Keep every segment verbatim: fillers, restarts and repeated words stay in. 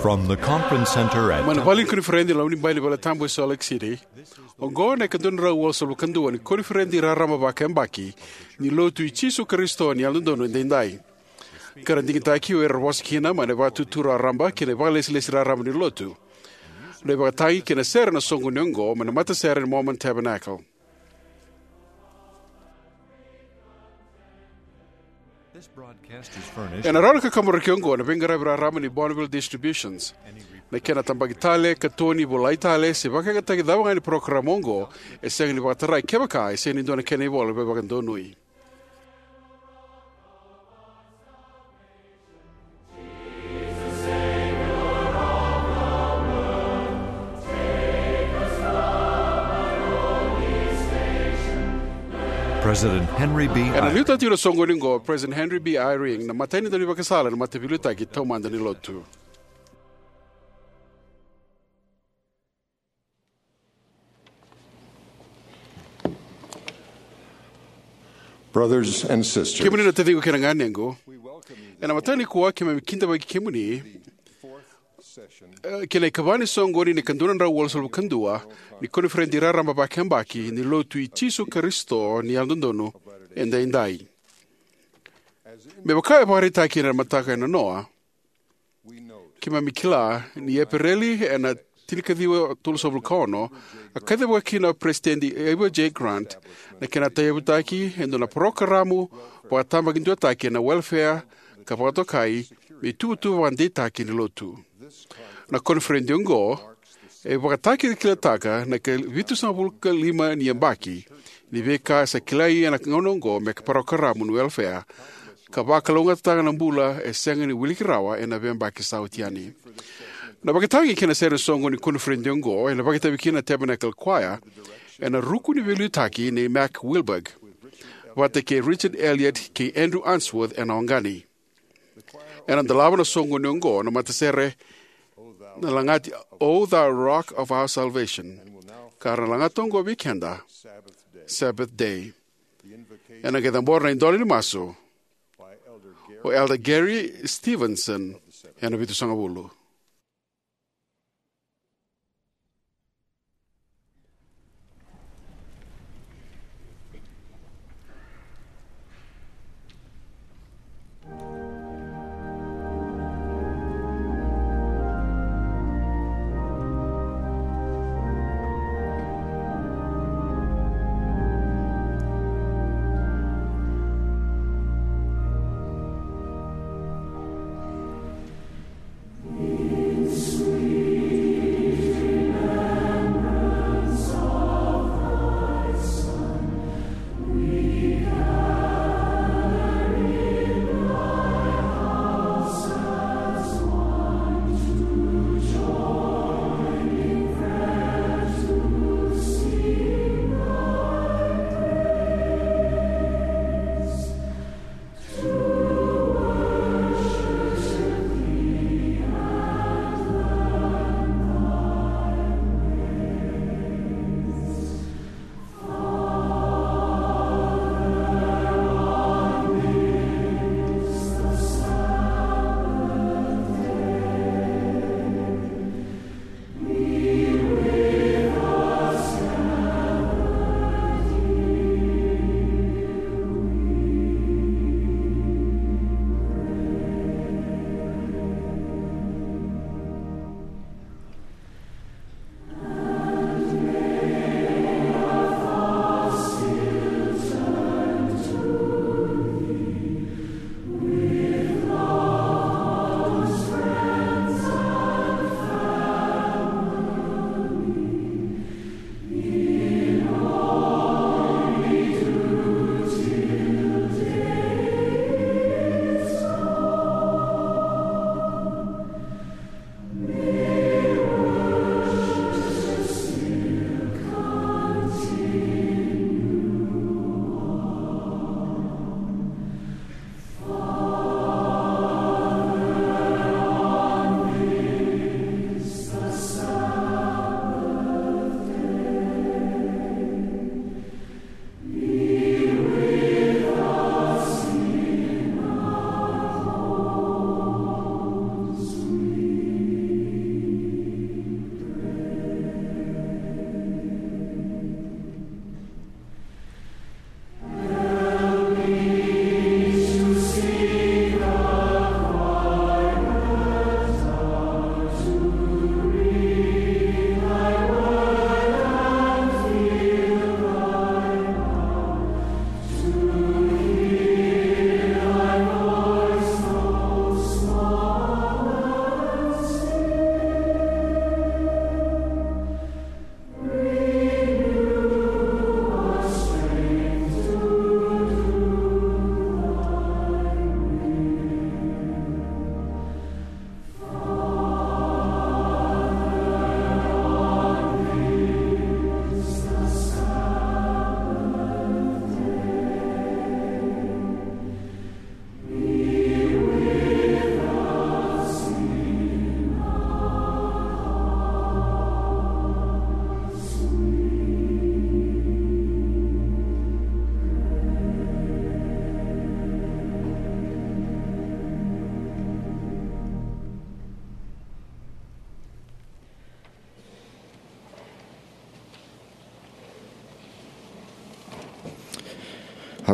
From the conference center at Mai na vale ni koniferedi ni Loma ni Bai ni Valetabu e Salt Lake City, oqo na ika dua na drau walusagavulu ka dua ni koniferedi raraba vakayabaki ni Lotu i Jisu Karisito ni Yalododonu Edaidai, ka ra digitaki o ira era vosa kina mai na Vakaitutu Raraba kei na Vakalesilesi Raraba ni Lotu. Na ivakatagi kei na sere ena soqoni oqo mai na matasere ni Mormon Tabernacle. Ena rawa ni kakaburaki oqo na veiqaravi raraba ni Bonneville Distributions. Na kena tabaki tale, katoni, volai tale, se vakayagataki cava ga ni parokaramu oqo, e sega ni vakatarai kevaka e sega ni dua na kena ivola veivakadonui. President Henry B. Ena liutaki tiko ena soqoni oqo o President Henry B. Eyring, na imatai ni daunivakasala ena Mataveiliutaki Taumada ni Lotu. Brothers and sisters, kemuni na taciqu kei na ganequ, ena mataka nikua keimami kidavaki kemuni, eh, ki na ikava ni soqoni ni ika dua na drau walusagavulu ka dua ni koniferedi raraba vakayabaki ni Lotu i Jisu Karisito ni Yalododonu Edaidai. Me vaka e vakaraitaki ena mataka e nanoa, keimami kila ni Epereli ena tinikaciwa tolusagavulu ka ono, a kacivaka kina o Peresitedi Ivor J. Grant na kena tauyavutaki e dua na parokaramu vakatabakiduataki ena welefea ka vakatokai me ituvatuva vakadeitaki ni Lotu. Na koniferedi oqo e vakatakilakilataka na ika vitusagavulu ka lima ni yabaki ni veika sa kilai ena gauna oqo me parokaramu ni welefea, ka vakalougatataka na bula e sega ni wiliki rawa ena veiyabaki sa oti yani. Na vakatagi kei na sere ni soqoni ni koniferedi oqo ena vakaitavi kina na Tabernacle Choir ena ruku ni veiliutaki nei Mac Wilberg vata kei Richard Elliott kei Andrew Unsworth ena oqani. Ena dolava na soqoni oqo na matasere na lagati O Thou Rock of Our Salvation, ka ra na lagata oqo vei keda Sabbath Day. Ena qai cabora na idola ni masu o Elder Gary Stevenson ena vitusagavulu.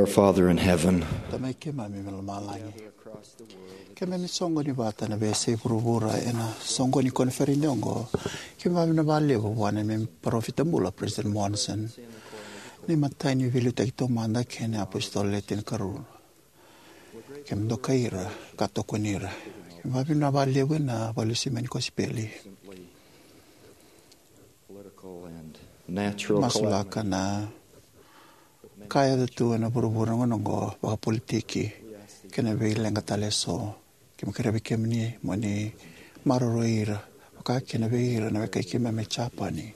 Our Father in heaven, Tamai keimami mai lomalagi, keimami soqoni vata na veiyasai vuravura ena soqoni koniferedi oqo. Keimami vakavinavinaka vakalevu vua na neimami parofita bula, President Monson, na imatai ni veiliutaki taumada kei na apositolo Le Tinikarua. Keimami dokai ira ka tokoni ira. Keimami vakavinavinaka vakalevu ena vakalesui mai ni kosipeli. Political and natural Masulaka calamity. Na ka e yaco tu ena vuravura na gauna oqo, vakapolitiki kei na veileqa tale eso. Keimami kerea vei kemuni mo ni maroroi ira, vaka kina vei ira na wekai keimami mai Japani.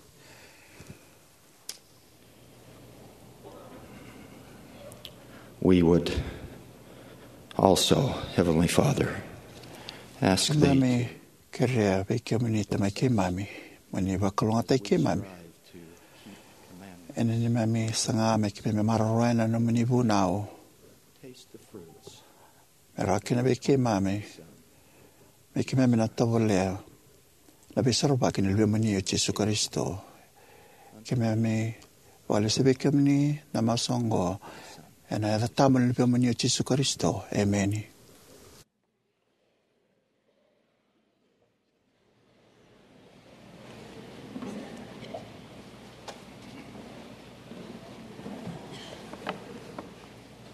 We would also, Heavenly Father, ask that Keimami kerea vei kemuni, Tamai keimami, mo ni vakalougatataki keimami ena neimami saga me keimami maroroya na nomuni vunau, me rawa kina vei keimami, me keimami na tovolea na veisorovaki ni Luvemuni o Jisu Karisito. Keimami vakalesuya vei kemuni na masu oqo ena yaca tabu ni Luvemuni o Jisu Karisito. Emeni.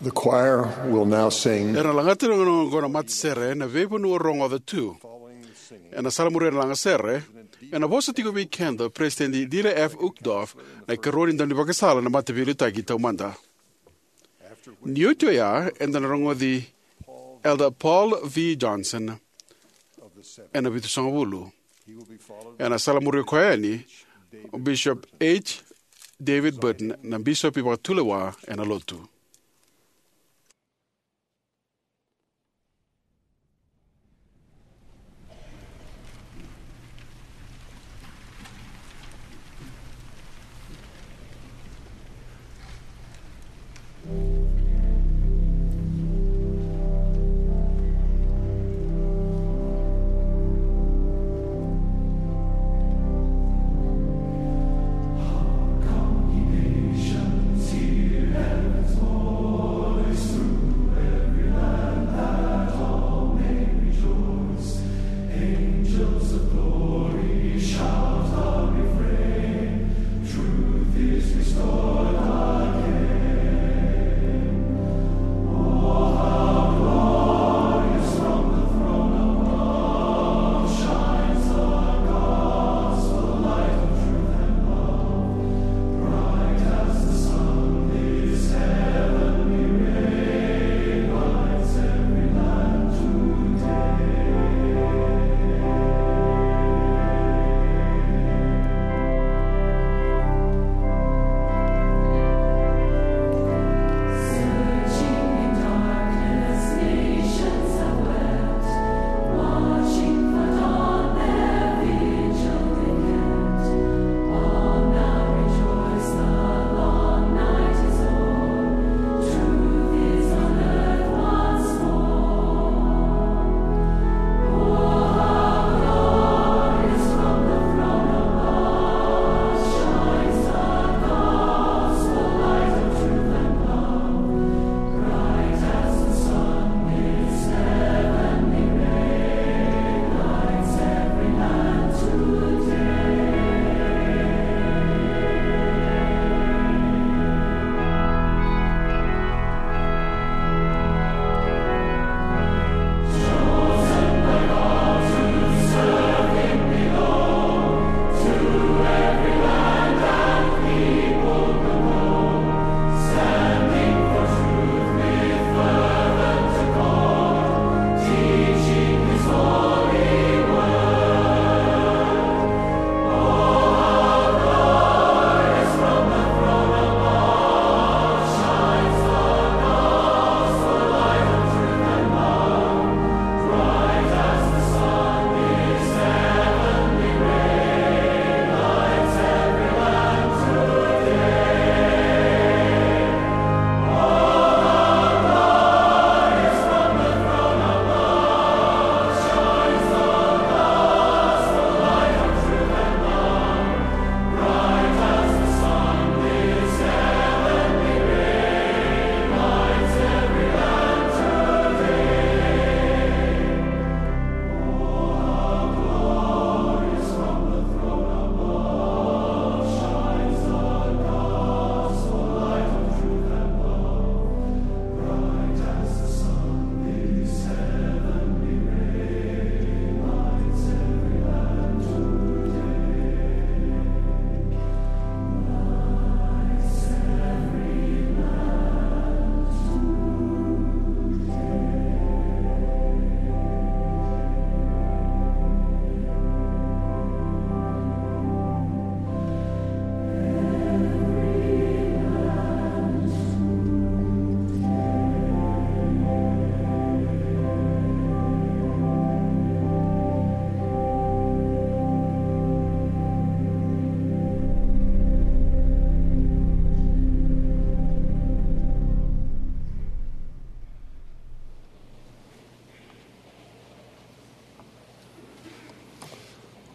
The choir will now sing. Era na lagata na gauna oqo na matasere, Na Veivanua Rogoca Tu. Ena salamuria na lagasere, ena vosa tiko vei keda o Peresitedi Dieter F. Uchtdorf, na ikarua ni daunivakasala na Mataveiliutaki Taumada. Ni oti oya, eda na rogoci Elder Paul V. Johnson ena vitusagavulu. Ena salamuria koya yani o Bishop H. David Burton, na bisopi vakatulewa ena Lotu.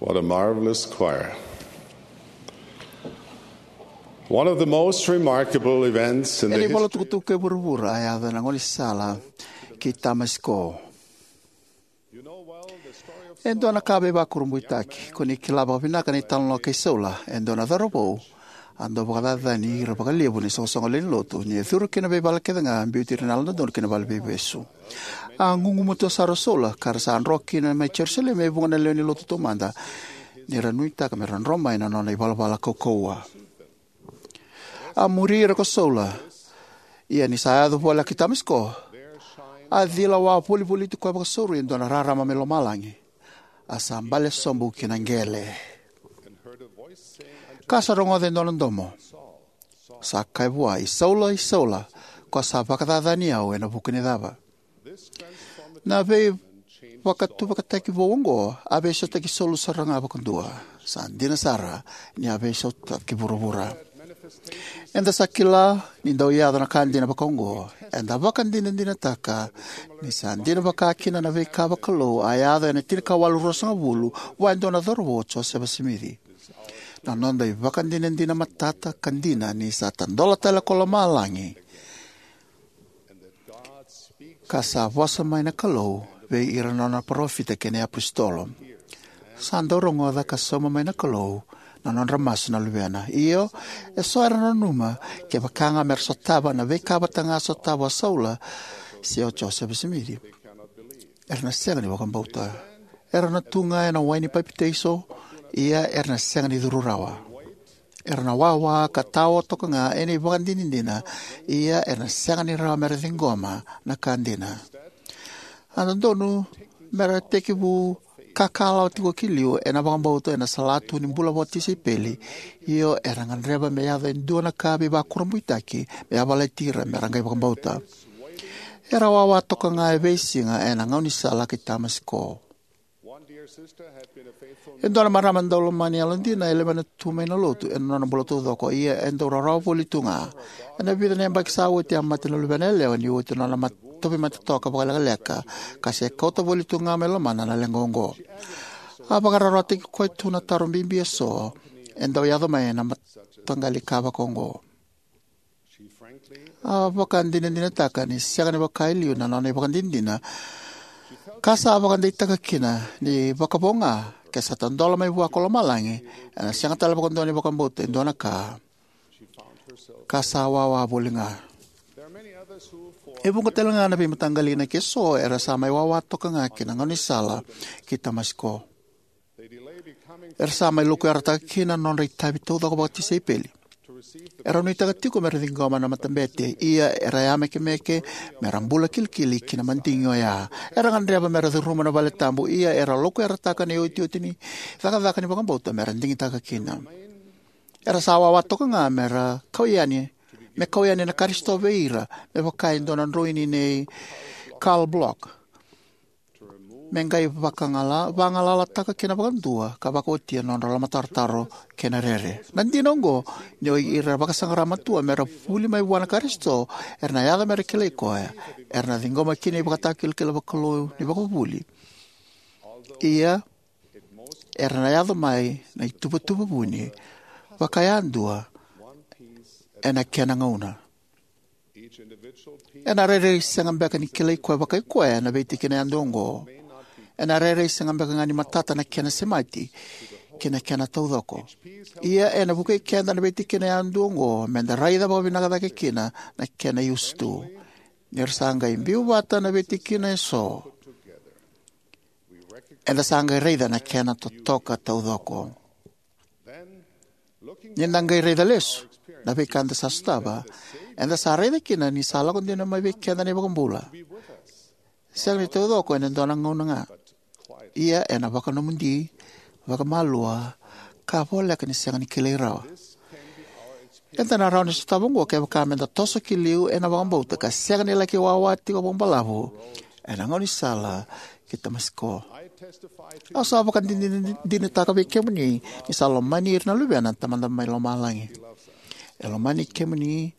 What a marvelous choir. One of the most remarkable events in the history. Ena ivola tukutuku kei vuravura a yaco ena gaunisala ki Tamasiko. E dua na ka veivakurabuitaki, ko ni kila vakavinaka na italanoa kei Saula, e dua na cauravou a dau vakacacani ira vakalevu na isoqosoqo lewe ni lotu, ni a curu ki na veivala kece ga, biuti ira na Yalododonu ki na vale ni veivesu. A gugumatua sara o Saula, ka ra sa dro kina mai Jerusalemi e vuqa na lewe ni lotu taumada, ni ra nuitaka me ra dro mai na nona ivalavala kaukauwa. A muri ira ko Saula, ia ni sa yaco voleka ki Tamasiko, a cila wavolivoliti koya vakasauri e dua na rarama mai lomalagi, a sa bale sobu ki na qele. Ka sa rogoca e dua na domo, sa kaya vua, "I Saula, i Saula, ko sa vakacacani au ena vuku ni cava?" Na veivakatuvakataki vou oqo a veisautaki Saula sara ga vakadua. Sa dina sara ni a veisautaki vuravura. Eda sa kila ni dau yaco na ka dina vakaoqo. Eda vakadinadinataka ni sa dina vakakina na veika vakalou a yaco ena tinikawalu ruasagavulu vua e dua na cauravou, o Josefa Simici. Na noda ivakadinadina matata ka dina ni sa tadola tale ko lomalagi, ka sa vosa mai na Kalou vei ira na nona parofita kei na iapositolo. Sa dau rogoca ka sauma mai na Kalou na nodra masu na luvena. Io, eso era nanuma, kevaka ga me ra sotava na veika vata ga a sotava o Saula se o Josefa Simici, era na sega ni vakabauta. Era na tu ga ena wai ni papitaiso, ia era na sega ni curu rawa. Era na wawa ka tawa toka ga ena ivakadinadina, ia era na sega ni rawa me ra ciqoma na ka dina. A dodonu me ra tekivu kakalawa tiko ki liu ena vakabauta ena salatu ni bula vakatisaipeli, io era gadreva me yaco e dua na ka veivakurabuitaki me yavalati ira me ra qai vakabauta. Era wawa toka ga e veisiga ena gaunisala ki Tamasiko. E dua na marama daulomani yalodina e lewena tu mai na lotu ena nona bula taucoko, ia e dau rawarawa voli tu ga. Ena vica na yabaki sa oti a mate na luvena yalewa ni oti na nona mat-, tauvimate toka vakalekaleka, ka se kauta voli tu ga mai lomana na leqa oqo. A vakararawataki koya tu na taro bibi eso e dau yaco mai ena mataqali ka vakaoqo. A vakadinadinataka ni sega ni vaka e liu na nona ivakadinadina, ka sa vakadeitaka kina ni vakavo ga ke sa tadola mai vua ko lomalagi, ena sega tale vakadua ni vakabauta e dua na ka, ka sa wawa voli ga. E vuqa tale ga na veimataqali inaki eso era sa mai wawa toka ga ki na gaunisala ki Tamasiko. Era sa mai lokuyarataka kina na nodra itavi taucoko vakatisaipeli. Era nuitaka tiko me ra ciqoma na matabete, ia era yamekemeke me ra bula kilikili ki na madigi oya. Era gadreva me ra curuma na vale tabu, ia era lokuyarataka na iotioti ni cakacaka ni vakabauta me ra digitaka kina. Era sa wawa toka ga me ra kau yani, me kau yani na Karisito vei ira, me vaka e dua na droini nei Carl Bloch. Me qai vakagala-, vagalalataka kina vakadua ka vakaotia na nodra lomatarotaro kei na rere. Na dina oqo, ni o ira era vakasaqara matua me ra vuli mai vua na Karisito, era na yaco me ra kilai koya, era na ciqoma kina ivakatakilakila vakalou ni vakavuvuli. Ia, era na yaco mai na ituvatuva vuni vakayadua ena kena gauna. Ena rairai sega beka ni kilai koya vakai koya na veitikina yadua oqo. Ena rairai sega beka ga ni matata na kena semati ki na kena taucoko. Ia ena vukei keda na veitikina yadua oqo me da raica vakavinaka cake kina na kena iusutu. Ni ra sa qai biu vata na veitikina eso, eda sa qai raica na kena totoka taucoko. Ni da qai raica lesu na veika eda sa sotava, eda sa raica kina ni sa lako dina mai vei keda na iVakabula. Sega ni taucoko ena dua na gauna ga, ia ena vakanomodi, vakamalua, ka voleka ni sega ni kilai rawa. Eda na rawa ni sotava oqo kevaka me da toso ki liu ena vakabauta ka sega ni laki wawa tiko vakabalavu ena gaunisala ki Tamasiko. Au sa vakadinadinataka vei kemuni ni sa lomani ira na luvena na Tamada mai Lomalagi. E lomani kemuni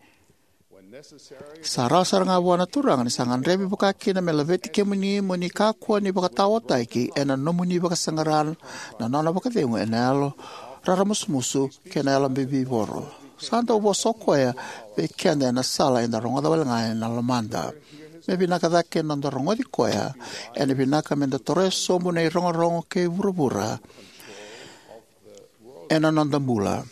Sa rawa sara ga vua na Turaga ni sa gadrevi vakakina me laveti kemuni mo ni kakua ni vakataotaki ena nomuni vakasaqara na nona vakacegu ena yalo raramusumusu kei na yalo bibivoro. Sa dau vosa o koya vei keda ena sala eda rogoca wale ga ena lomada. Me vinaka cake na noda rogoci koya, ena vinaka meda toroya sobu na irogorogo kei vuravura ena noda bula.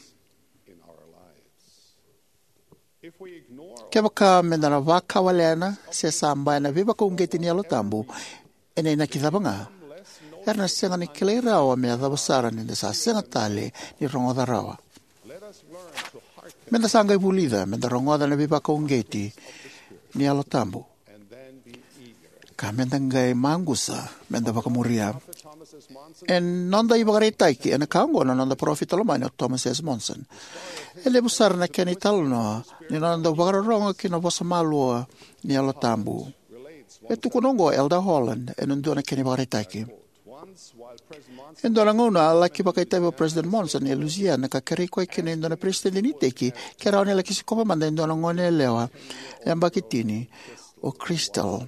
Kevaka meda na vakawalena se sabaya na veivakauqeti ni Yalo Tabu, ena inaki cava ga, era na sega ni kilai rawa me yacova sara ni da sa sega tale ni rogoca rawa. Meda sa qai vulica meda rogoca na veivakauqeti ni Yalo Tabu, ka meda qai maqusa meda vakamuria. E noda ivakaraitaki ena ka oqo na noda parofita lomani o Thomas S. Monson. E levu sara na kena italanoa ni nona dau vakarorogo ki na vosa malua ni Yalo Tabu. E tukuna oqo o Elder Holland ena dua na kena ivakaraitaki. E dua na gauna a laki vakaitavi o President Monson e Louisiana ka kerei koya kina e dua na peresitedi ni iteki ke rawa ni laki sikova mada e dua na goneyalewa yabaki tini, o Crystal,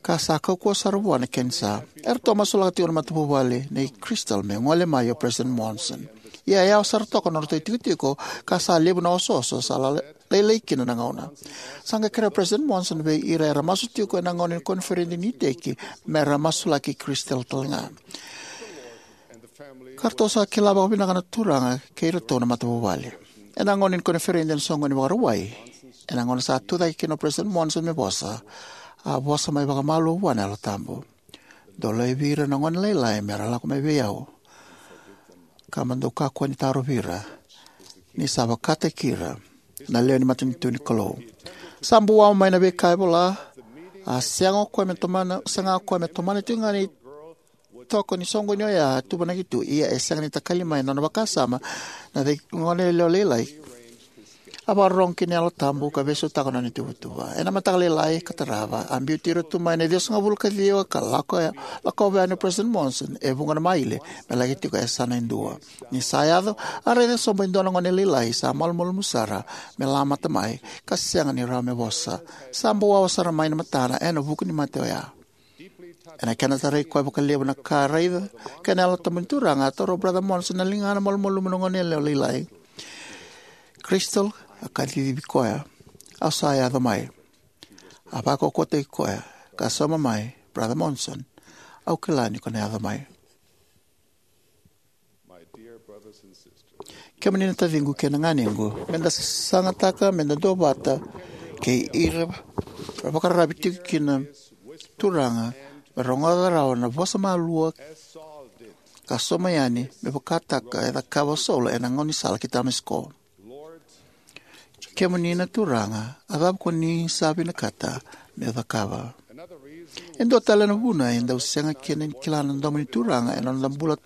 ka sa kaukauwa sara vua na kenisa. Eratou a masulaka tiko na matavuvale nei Crystal me gole mai o President Monson. Ia e yawa sara toka na nodratou itikotiko ka sa levu na osooso sa la- lailai kina na gauna. Sa qai kerea o President Monson vei ira era masu tiko ena gauna ni koniferedi ni iteki me ra masulaki Crystal talega. Ka ratou sa kila vakavinaka na Turaga kei iratou na matavuvale. Ena gauna ni koniferedi ena soqoni ni Vakarauwai, ena gauna sa tucake kina o President Monson me vosa, a vosa mai vakamalua vua na Yalo Tabu: Dou laivi ira na gone lailai me ra lako mai vei au, ka mo dou kakua ni tarovi ira, ni sa vakataki ira na lewe ni matanitu ni Kalou. Sa buwawa mai na veika e vola. A sega o koya me tomana, sega o koya me tomana tiko ga na itoko ni soqoni oya a tuvanaki tu, ia e sega ni takali mai na nona vakasama na cei gone yalewa lailai. A vakarorogo ki na Yalo Tabu ka veisautaka na nona ituvatuva. Ena mataka lailai ka tarava, a biuti ira tu mai na ciwasagavulu ka ciwa ka lako, lakova yani o President Monson e vuqa na maile me laki tiko e yasana e dua. Ni sa yaco, a raica sobu e dua na gone lailai sa malumalumu sara me lamata mai ka sega ni rawa me vosa. Sa buwawa sara mai na matana ena vuku ni mate oya. Ena kena tarai koya vakalevu na ka a raica kei na Yalo Tabu ni Turaga, a taura o Brother Monson na ligana malumalumu na gone yalewa lailai. Crystal, a kacivi koya, au sa yaco mai. A vakaukauwataki koya ka sauma mai, Brother Monson, au kila ni ko na yaco mai. Kemuni na taciqu kei na ganequ, meda sagataka, meda duavata kei ira ra vakararavi tiko kina Turaga me rogoca rawa na vosa malua ka sauma yani me vakataka e cakava o Saula ena gaunisala ki Tamasiko. Kemuni na Turaga, a cava ko ni sa vinakata meu cakava? E dua tale na vuna e dau sega kina ni kila na domo ni Turaga ena noda bula,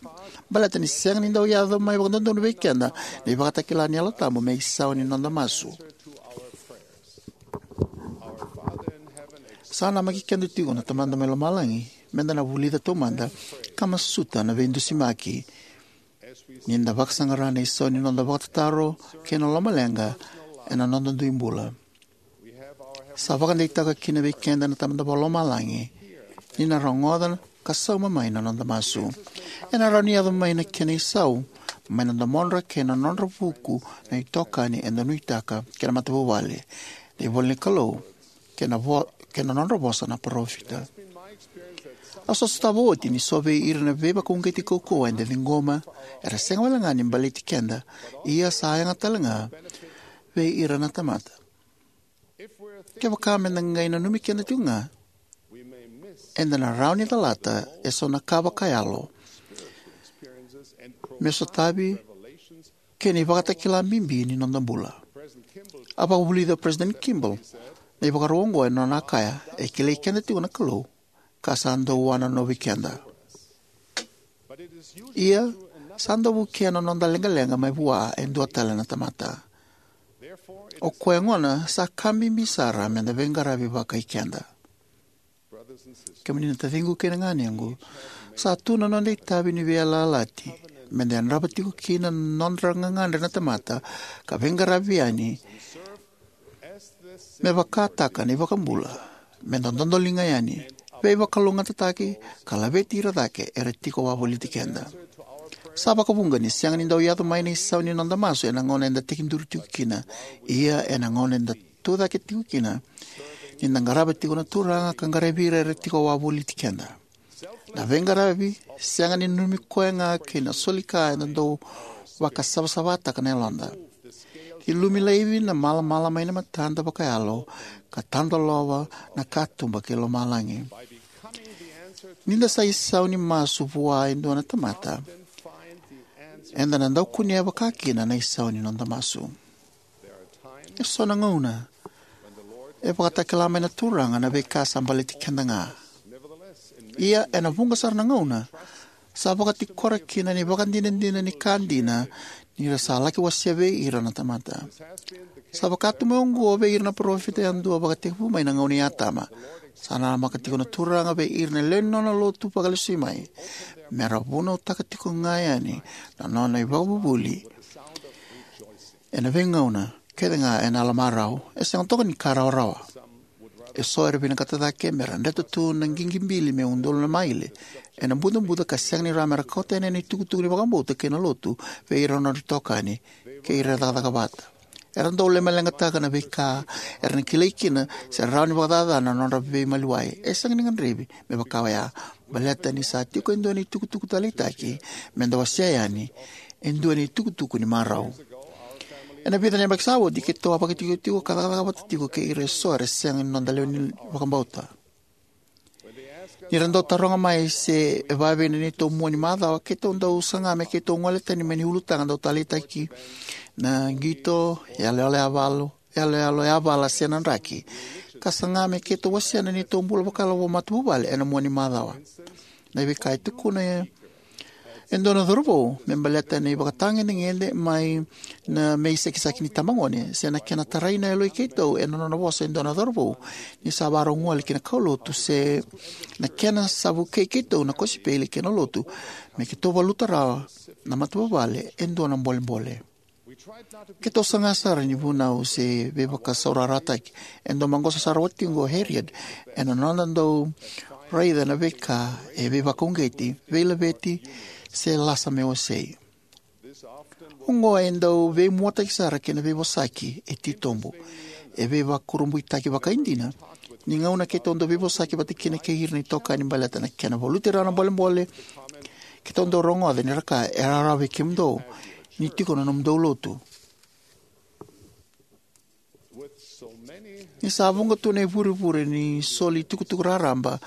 baleta ni sega ni dau yaco mai vakadodonu vei keda na ivakatakila ni Yalo Tabu me isau ni noda masu. Sa namaki keda tiko na Tamada mai Lomalagi meda na vulica taumada ka masuta na veidusimaki ni da vakasaqara na isau ni noda vakatataro kei na lomaleqa ena noda dui bula. Sa vakadeitaka kina vei keda na Tamada Vakalomalagi ni na rogoca ka sauma mai na noda masu. Ena rawa ni yaco mai na kena isau mai na domodra kei na nodra vuku na itokani eda nuitaka kei na matavuvale, na ivola ni Kalou, kei na, vo, kei na nodra vosa na parofita. Au sa sotava oti ni so vei ira na veivakauqeti kaukauwa eda ciqoma era sega wale ga ni baleti keda, ia sa yaga tale ga vei ira na tamata. Kevaka meda qai nanumi keda tiko ga, eda na rawa ni calata eso na ka vakayalo me sotavi kei na ivakatakila bibi ni noda bula. A vakavulica o President Kimball na ivakarau oqo ena nona kaya, e kilai keda tiko na Kalou ka sa dau wananovi keda. Ia, sa dau vukea na noda leqaleqa mai vua e dua tale na tamata. O koya gona sa ka bibi sara meda veiqaravi vakai keda. Kemuni na taciqu kei na ganequ, sa tu na noda itavi ni veiyalayalati meda yadrava tiko kina na nodra gagadre na tamata ka veiqaravi yani Me vakataka na iVakabula, me da dodoliga yani, veivakalougatataki, ka laveti ira cake era tiko wavoliti keda. Sa vakavuqa ni sega ni dau yaco mai na isau ni noda masu ena gauna eda tekiduru tiko kina, ia ena gauna eda tucake tiko kina, ni da qarava tiko na Turaga ka qaravi ira era tiko wavoliti keda. Na veiqaravi sega ni nanumi koya ga kei na soli ka eda dau vakasavasavataka na yaloda. Ni lumi laivi na malamala mai na matada vakayalo ka tadolova na katuba kei lomalagi. Ni da sa isau ni masu vua e dua na tamata, eda na dau kunea vakakina na isau ni noda masu. E so na gauna e vakatakila mai na Turaga na veika sa baleti keda ga. Ia ena vuqa sara na gauna sa vakatikora kina na ivakadinadina ni ka dina ni ra sa laki wasea vei ira na tamata. Sa vaka tu mai oqo vei ira na parofita yadua vakatekivu mai na gauna i Atama. Sa namaka tiko na Turaga vei ira na lewe ni nona lotu vakalesui mai me ra vunautaka tiko ga yani na nona ivakavuvuli ena veigauna kece ga ena yalomarau. E sega toka ni ka rawarawa. E so era vinakata cake me ra dreta tu na qiqibili me udolu na maile ena bucabuca ka sega ni rawa me ra kauta yani na itukutuku ni vakabauta kei na lotu vei ira na nodra itokani kei ira era cakacaka vata. Era dau lemaleqataka na veika era na kilai kina se rawa ni vakacacana na nodra veimaliwai. E sega ni gadrevi me vaka oya, baleta ni sa tiko e dua na itukutuku taleitaki me da wasea yani, e dua na itukutuku ni marau. Ena vica na yabaki sa oti, keitou a vakaitikotiko ka cakacaka vata tiko kei ira e so era sega ni noda lewe ni vakabauta. Ni ra dau taroga mai se e vavei na neitou mua ni macawa, keitou dau saga me keitou gole tani mai na ulutaga dau taleitaki na qito, yaloyalo yavalu, yaloyalo yavala se na draki, ka saga me keitou wasea na neitou bula vakayalo vakamatavuvale ena mua ni macawa. Na veika e tukuna e dua na cauravou me baleta na ivakatagedegede mai na, me isekiseki ni tabagone, se na kena tarai na yaloi keitou ena nona vosa e dua na cauravou ni sa vakarau gole ki na kaulotu, se na kena sa vukei keitou na kosipeli kei na lotu me keitou valuta rawa na matavuvale e dua na bolebole. Keitou saga sara ni vunau se veivakasaurarataki. E dau maqosa sara watiqu o Harriet ena noda dau raica na veika e veivakauqeti, veilaveti, se lasa me wasei. Oqo e dau veimuataki sara kei na veivosaki e titobu. E veivakurabuitaki vakaidina ni gauna keitou dau veivosaki vata kina kei ira na itokani baleta na kena valuti rawa na bolebole keitou dau rogoca ni ra kaya, e rawarawa vei kemudou ni tiko na nomudou lotu. Ni sa vuqa tu na ivurevure ni soli itukutuku raraba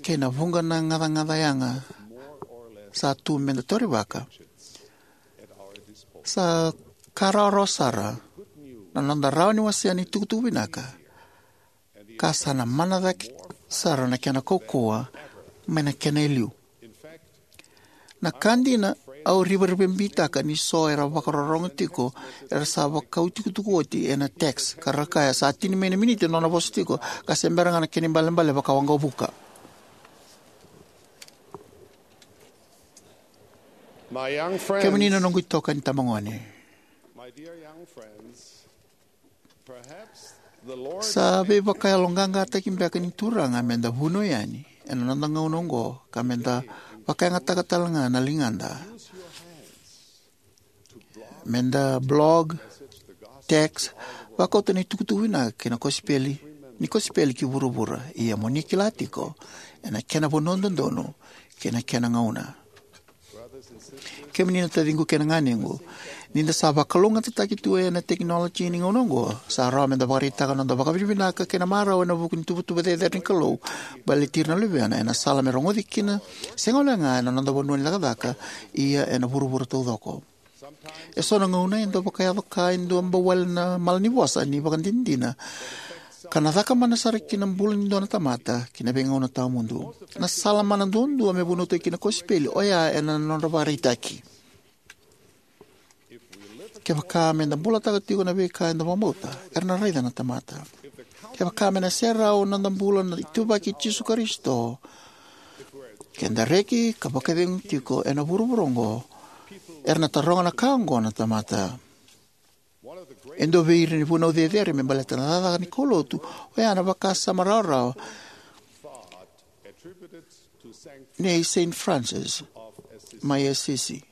kei na vuqa na gacagaca yaga sa tu me da taurivaka, sa ka rawarawa sara na noda rawa ni wasea na itukutuku vinaka, ka sa na mana cake sara na kena kaukauwa mai na kena e liu. Na ka dina, au rivarivabiitaka ni so era vakarorogo tiko era sa vakau itukutuku oti ena text ka ra kaya sa tini mai na miniti na nona vosa tiko, ka se bera ga na kena ibalebale vakawaqavuka. My young friends, kemuni na noqu itokani tabagone, my dear young friends, perhaps the Lord sa veivakayaloqaqataki beka ni Turaga me da vunau yani ena noda gauna oqo, ka me da vakayagataka tale ga na ligada me da blog, text, vakauta na itukutuku vinaka kei na kosipeli, ni kosipeli ki vuravura. Ia mo ni kila tiko, ena kena vanua dodonu kei na kena gauna. Kemuni na taciqu kei na ganequ, ni da sa vakalougatataki tu ena tekinoloji ni gauna oqo, sa rawa me da vakaraitaka na noda vakavinavinaka kei na marau ena vuku ni tuvatuva cecere ni Kalou baleti ira na luvena ena sala me rogoci kina, sega walega ena noda vanua ni cakacaka, ia ena vuravura taucoko. E so na gauna e dau vakayaco ka e dau bau wale na malanivosa ni ivakadinadina, ka na caka mana sara ki na bula ni dua na tamata ki na veigauna tawamudu. Na sala mana duadua me vunautaki kina na kosipeli oya ena nodra vakaraitaki. Kevaka me da bulataka tiko na veika eda vakabauta, era na raica na tamata. Kevaka me na serau na noda bula na ituvaki i Jisu Karisito, ke da reki ka vakacegu tiko ena vuravura oqo, era na taroga na ka oqo na tamata. E dua vei ira na vunau cecere me baleta na cakacaka ni kaulotu oya na vakasama rawarawa nei Saint Francis mai Assisi: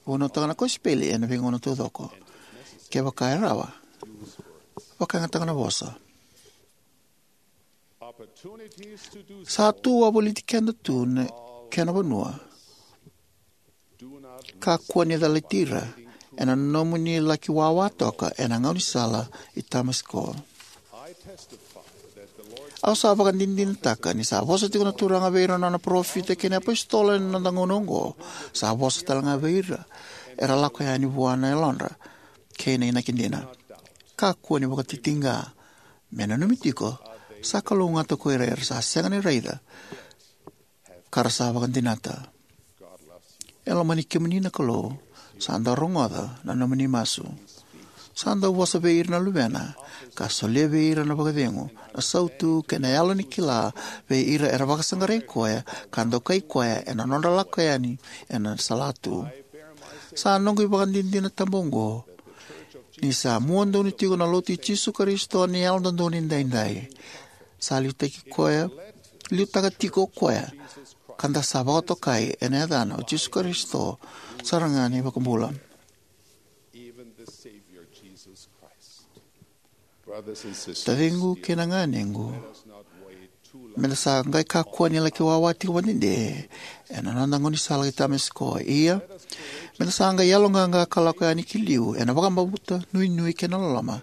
Vunautaka na kosipeli ena veigauna taucoko. Kevaka e rawa, vakayagataka na vosa. Sa tu wavoliti keda tu na kena vanua. Kakua ni calati ira ena nomuni laki wawa toka ena gaunisala i Tamasiko. Au sa vakadinadinataka ni sa vosa tiko na Turaga vei ira na Nona parofita kei na iapositolo ena noda gauna oqo. Sa vosa talega vei ira era lako yani vua na yalodra kei na inaki dina. Kakua ni vakatitiqa. Me nanumi tiko, sa kalougata ko ira era sa sega ni raica ka ra sa vakadinata. E lomani kemuni na Kalou. Sa dau rogoca na nomuni masu. Sa dau vosa vei ira na Luvena, ka solia vei ira na vakacegu, na sautu, kei na yalo ni kila vei ira era vakasaqarai Koya ka dokai Koya ena nodra lako yani ena salatu. Sa noqu ivakadinadina tabu oqo ni sa mua donu tiko na Lotu i Jisu Karisito ni Yalododonu Edaidai. Sa liutaki koya, liutaka tiko o Koya, ka da sa vakatokai ena Yacana, o Jisu Karisito sara ga na iVakabula. Taciqu kei na ganequ, me da sa qai kakua ni laki wawa tiko vakadede ena noda gaunisala ki Tamasiko. Ia, me da sa qai yaloqaqa ka lako yani ki liu ena vakabauta, nuinui, kei na loloma,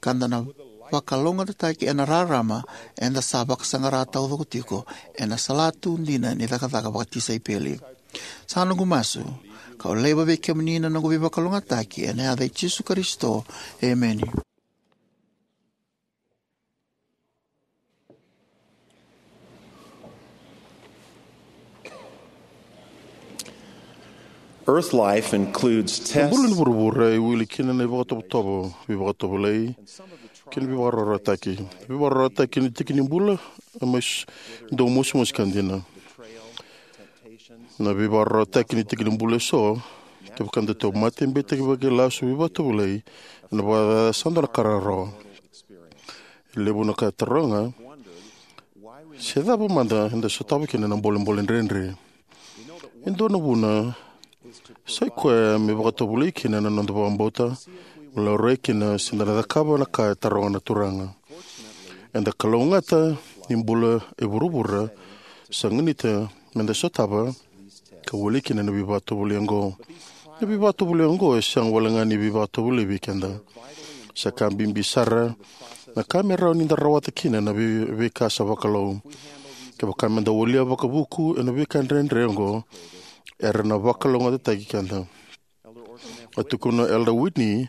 ka da na vakalougatataki ena rarama eda sa vakasaqara taucoko tiko ena salatu dina ni cakacaka vakatisaipeli. Sa noqu masu, kau laiva vei kemuni na noqu veivakalougatataki ena yaca i Jisu Karisito. Emeni. Earth life includes tests. Bula ni vuravura e wili kina na ivakatovotovo, veivakatovolei, kei na veivakararawataki. Veivakararawataki ni tiki ni bula e mai s-, dau mosimosi ka dina. Na veivakararawataki ni tiki ni bula eso, kevaka da tauvimate, e beitaki vakailasu, veivakatovolei, ena vakayaca sa dua na ka rawarawa. E levu na ka e taroga se cava mada eda sotava kina na bolebole dredre. E dua na vuna sa ikoya me vakatovolei kina na noda vakabauta, me laurai kina se da na cakava na ka e taroga na Turaga. Eda kalougata ni bula e vuravura sa ganita me da sotava ka wili kina na veivakatovolei oqo. Na veivakatovolei oqo e sega wale ga ni veivakatovolei vei keda. Sa ka bibi sara na ka me rawa ni da rawata kina na vei-, veika sa vakalou. Kevaka me da walia vakavuku ena veika dredre oqo, era na vakalougatataki keda. A tukuna o Elder Whitney,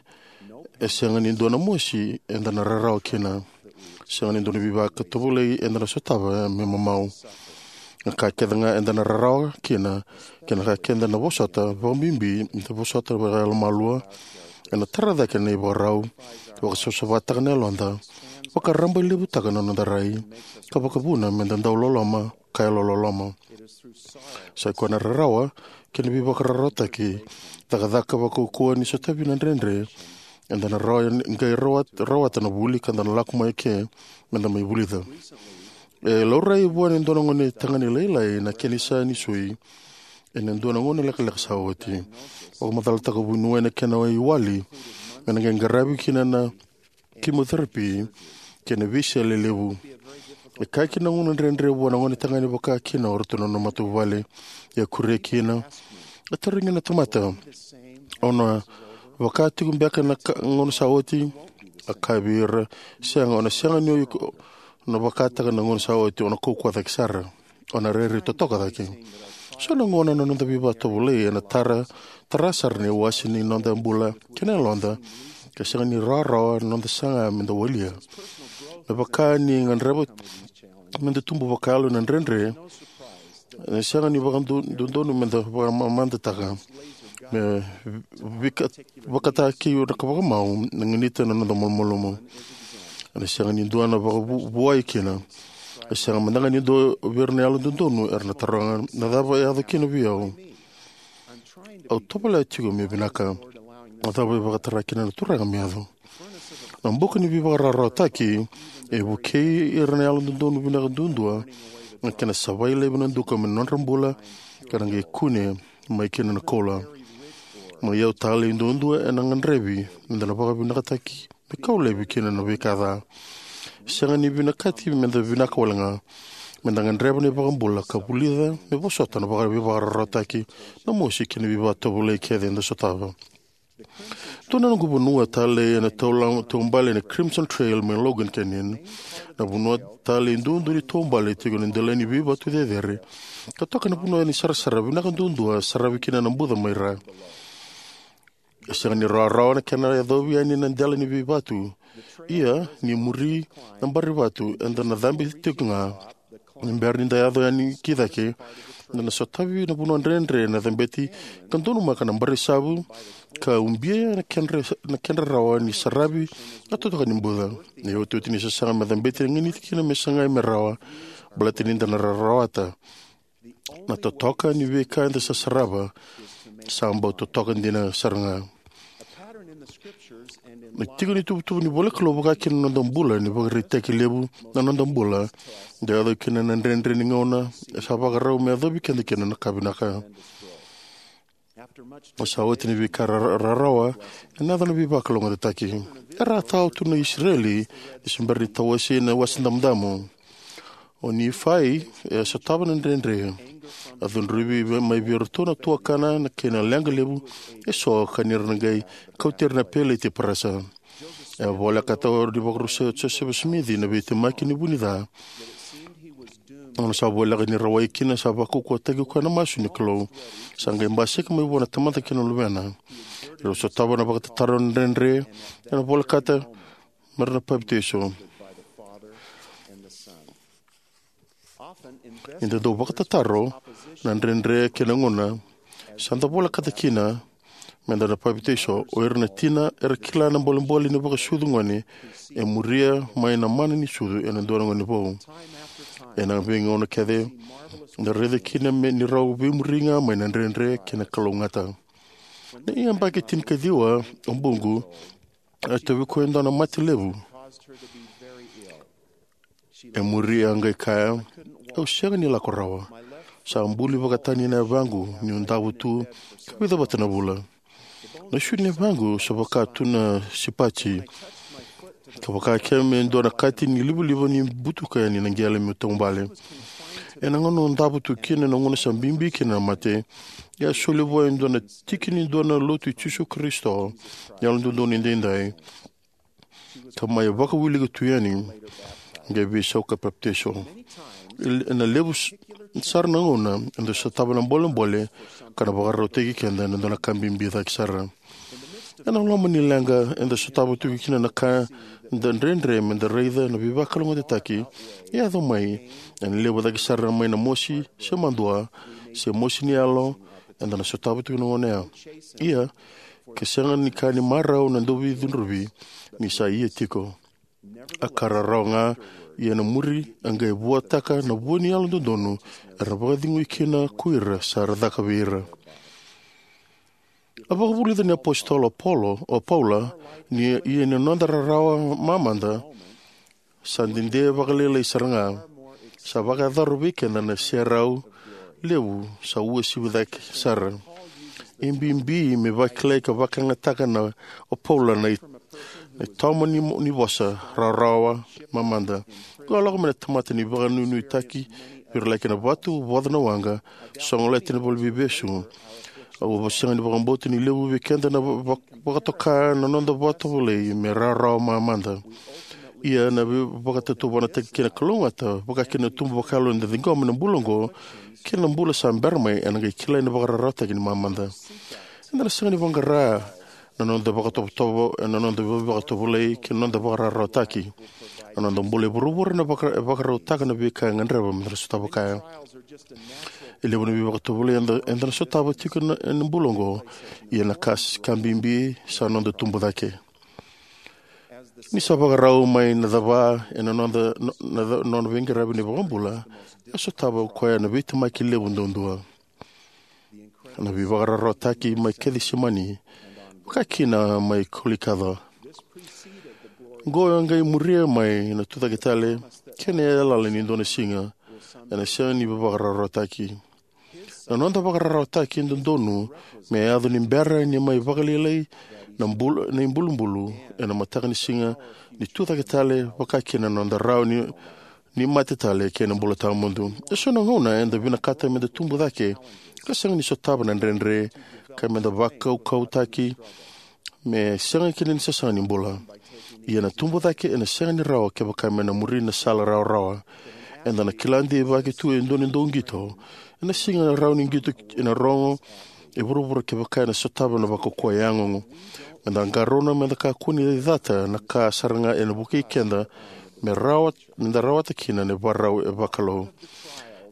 e sega ni dua na mosi eda na rarawa kina. Sega ni dua na veivakatovolei eda na sotava me mamau. Na ka kece ga eda na rarawa kina, kei na ka keda na vosota, vakabibi eda vosota vakayalomalua, ena tara cake na ivakarau, vakasavasavataka na yaloda, vakarabailevutaka na noda rai, ka vakavuna me da dau loloma ka yalololoma. Sa ikoya na rarawa kei na veivakararawataki, cakacaka vakaukauwa ni sotavi na dredre, eda na rawa ni qai rawat-, rawata na vuli ka da na lako mai ke me da mai vulica. E laurai vua na dua na gone tagane lailai na kena isau ni sui ena dua na gauna lekaleka sa oti. Vakamacalataka o vuniwai na kena iwali me na qai qaravi kina na chemotherapy kei na veisele levu. E kaya kina na gauna dredre vua na gone tagane vaka kina o ratou na nona matavuvale. Ia kuria kina, a tarogi na tamata, "O na vaka tiko beka na ka, gauna sa oti?" A kaya vei ira, "Sega, o na sega ni o iko na vakataka na gauna sa oti, o na kaukauwa cake sara. O na rairai totoka cake." So na gauna na noda veivakatovolei ena tara, tara sara na iwase ni noda bula kei na yaloda, ka sega ni rawarawa na noda saga me da walia. Me vaka ni gadreva me da tubu vakayalo ena dredre, ena sega ni vakadodonu me da vakamamadataka me vika-, vakataki na ka vakamau na ganita na noda malumalumu. Ena sega ni dua na vakavu-, vuai kina. E sega mada ga ni dua vei ira na yalododonu era na taroga, "Na cava e yaco kina vei au? Au tovolea tiko me vinaka." Na cava e vakatara kina na Turaga me yaco? Na buka ni veivakararawataki e vukei ira na yalododonu vinaka duadua na kena savai laivi na duka mai na nodra bula ka na qai kune mai kina na koula. Na iyau talei duadua ena gadrevi me da na vakavinakataki me kau laivi kina na veika ca. Sega ni vinakati me da vinaka wale ga. Me da gadreva na iVakabula ka vulica me vosota na vaka- veivakararawataki, na mosi kei na veivakatovolei kece eda sotava. Dua na noqu vanua talei ena taula- taubale na Crimson Trail mai Logan Canyon. Na vanua talei duadua ni taubale tiko na delai ni veivatu cecere, ka toka na vanua ni sarasara vinaka duadua saravi kina na buca mai ra. E sega ni rawarawa na kena yacovi yani na dela ni veivatu. Ia ni muri na bari vatu, eda na cabe tiko ga. Ni bera ni da yaco yani ki cake, da na sotavi na vanua dredre na cabeti, ka donumaka na bari savu, ka ubia na kedra, na kedra rawa ni saravi na totoka ni buca. Na iotioti ni sasaga me cabeti e ganiti kina me sagai me rawa, baleta ni da na rarawata. Na totoka ni veika eda sa sarava sa bau totoka dina sara ga. Na tiko ni tuvatuva ni iVola i Kalou vaka kina na noda bula ni vakaraitaki levu na noda bula, da yaco kina na dredre ni gauna e sa vakarau me yacovi keda kina na ka vinaka. Sa oti na veika ra- rarawa, ena yaco na veivakalougatataki. Era a tao tu na Isireli ni se bera ni tawasei na Wasa Damudamu. O Nifai e sotava na dredre. A cudruvi mai vei iratou na tuakana na kena leqa levu eso ka ni ra na qai kauti ira na peleti e parasa. E a volekata ni vakarusa o Josefa Simici na veitemaki ni vu ni ca. Gauna sa voleka ni rawai kina, sa vakaukauwataki koya na masu ni Kalou. Sa qai basika mai vua na Tamada kei na Luvena. Rau sotava na vakatataro na dredre ena volekata me ra na papitaiso. Ni da dau vakatataro na dredre kei na gauna sa da volekata kina me da na papitaiso, o ira na tina era kila na bolebole ni vakasucu gone e muria mai na mana ni sucu ena dua na gone vou. Ena veigauna kece da raica kina me ni rau veimuri ga mai na dredre kei na kalougata. Na iyabaki tinikaciwa o Buqu, e tauvi koya e dua na mate levu. E muri a qai kaya, "Au sega ni lako rawa. Sa buli vakatani na yavaqu niu davo tu ka vica vata na vula. Na isulu ni yavaqu sa vaka tu na sipati, ka vaka ke me dua na kati ni livaliva ni butuka yani na qele meu taubale." Ena gauna au davo tu kina, na gauna sa bibi kina na mate, e a soli vua e dua na tiki ni dua na lotu i Jisu Karisito ni Yalododonu Edaidai, ka mai vakawilika tu yani, qai veisau ka papitaiso. Ena levu s- sara na gauna eda sotava na bolebole ka na vakarautaki keda ena dua na ka bibi cake sara. Ena loma ni leqa eda sotava tiko kina na ka da dredre me da raica na veivakalougatataki e yaco mai, ena levu cake sara mai na mosi se madua se mosi ni yalo eda na sotava tiko na gauna ya. Ia, ke sega ni ka ni marau na dauveicudruvi ni sa ia tiko. A ka rarawa ga, ia na muri a qai vuataka na vua ni yalododonu era vakacegui kina ko ira sa ra caka vei ira. A vakavulica ni apositolo o Paulo, o Paula, ni ia ni noda rarawa mamada sa dede vakalailai sara ga, sa vakayacora vei keda na serau levu sa uasivi cake sara. E bibi me vakilai ka vakayagataka na o Paula na i- na itoma ni, ni vosa rarawa mamada. Ko a lako mai na tamata ni vakanuinuitaki, viralaki na vatu, voca na waqa, sogolati na valeniveivesu. Au sega ni vakabauta ni levu vei keda na va- vakatoka na noda vakatovolei me rarawa mamada. Ia na vei- vakatataunaki kei na kalougata, vaka kina na tubu vakayalo eda ciqoma ena bula oqo kei na bula sa bera mai, ena qai kilai na vakararawataki ni mamada. Eda na sega ni vaqara na noda vakatovotovo ena noda vei- vakatovolei kei na noda vakararawataki. Na noda bula e vuravura na vaka- e vakarautaka na veika e gadreva me da sotava kaya. E levu na veivakatovolei eda, eda na sotava tiko na, ena bula oqo, ia na ka s- ka bibi sa noda tubu cake. Ni sa vakarau mai na cava ena noda, no- na ca- nona veiqaravi na iVakabula, e sotava o koya na veitemaki levu duadua. Na veivakararawataki mai Kecisemani vakakina mai Kolikoca. Oqo e qai muria mai na tucake tale kei na yalayala ni dua na siga ena sega ni veivakararawataki. Na noda veivakararawataki e dodonu me yaco ni bera ni mai vakalailai na bul-, na ibulubulu ena mataka ni siga ni tucake tale, vakakina na noda rawa ni, ni mate tale kei na bula tawamudu. Eso na gauna eda vinakata meda tubu cake ka sega ni sotava na dredre, ka meda vakaukauwataki me sega kina ni sasaga ni bula. Ia na tubu cake ena sega ni rawa kevaka me na muri na sala rawarawa. Eda na kila deivaki tu e dua na dauqito. Ena sega ni rawa ni qito ena rogo e vuravura kevaka ena sotava na vakaukauwa yagogo. Meda qarauna meda kakua ni cata na ka sara ga ena vukei keda me rawa, meda rawata kina na ivakarau e vakalou.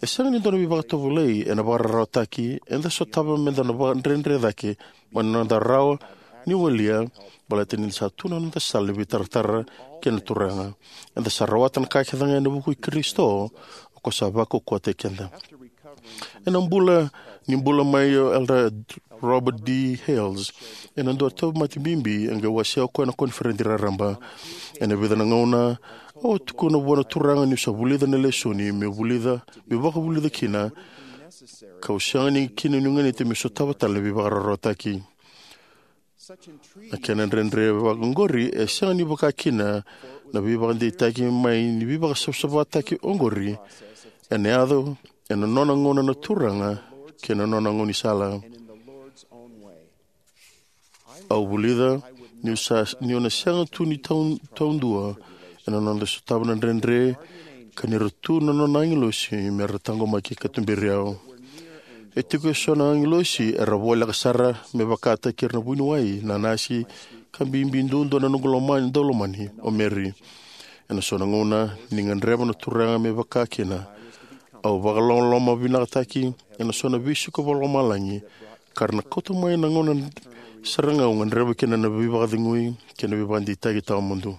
E sega ni dua na veivakatovolei ena veivakararawataki eda sotava meda na vakadredre cake mai na noda rawa ni walia, baleta ni sa tu na noda sala ni veitaratara kei na Turaga. Eda sa rawata na ka kece ga ena vuku i Karisito, o koya sa vakaukauwataki keda. Ena bula, ni bula mai o Elder Robert D. Hales ena dua na tauvimate bibi, e qai wasea o koya na koniferedi raraba. Ena vica na gauna, au a tukuna vua na Turaga niu sa vulica na lesoni meu vulica, meu vakavulica kina, kau sega ni kina niu ganita meu sotava tale na veivakararawataki. Na kena dredre vakaoqori e sega ni vakakina na veivakadeitaki mai ni veivakasavasavataki oqori. Ena yaco ena nona gauna na Turaga kei na nona gaunisala. Au vulica niu sa, niu na sega tu ni tau, taudua ena noda sotava na dredre, ka ni ra tu na nona agilosi me ra taqomaki ka tuberi au. E tiko eso na agilosi era voleka sara me vakataki ira na vuniwai, na nasi, ka bibi duadua na noqu lomani, daulomani, o Mary. Ena so na gauna ni gadreva na Turaga me vakakina, au vakalomalomavinakataki ena so na veisiko vakalomalagi, ka ra na kauta mai na gauna sara ga au gadreva kina na veivakacegui kei na veivakadeitaki tawamudu.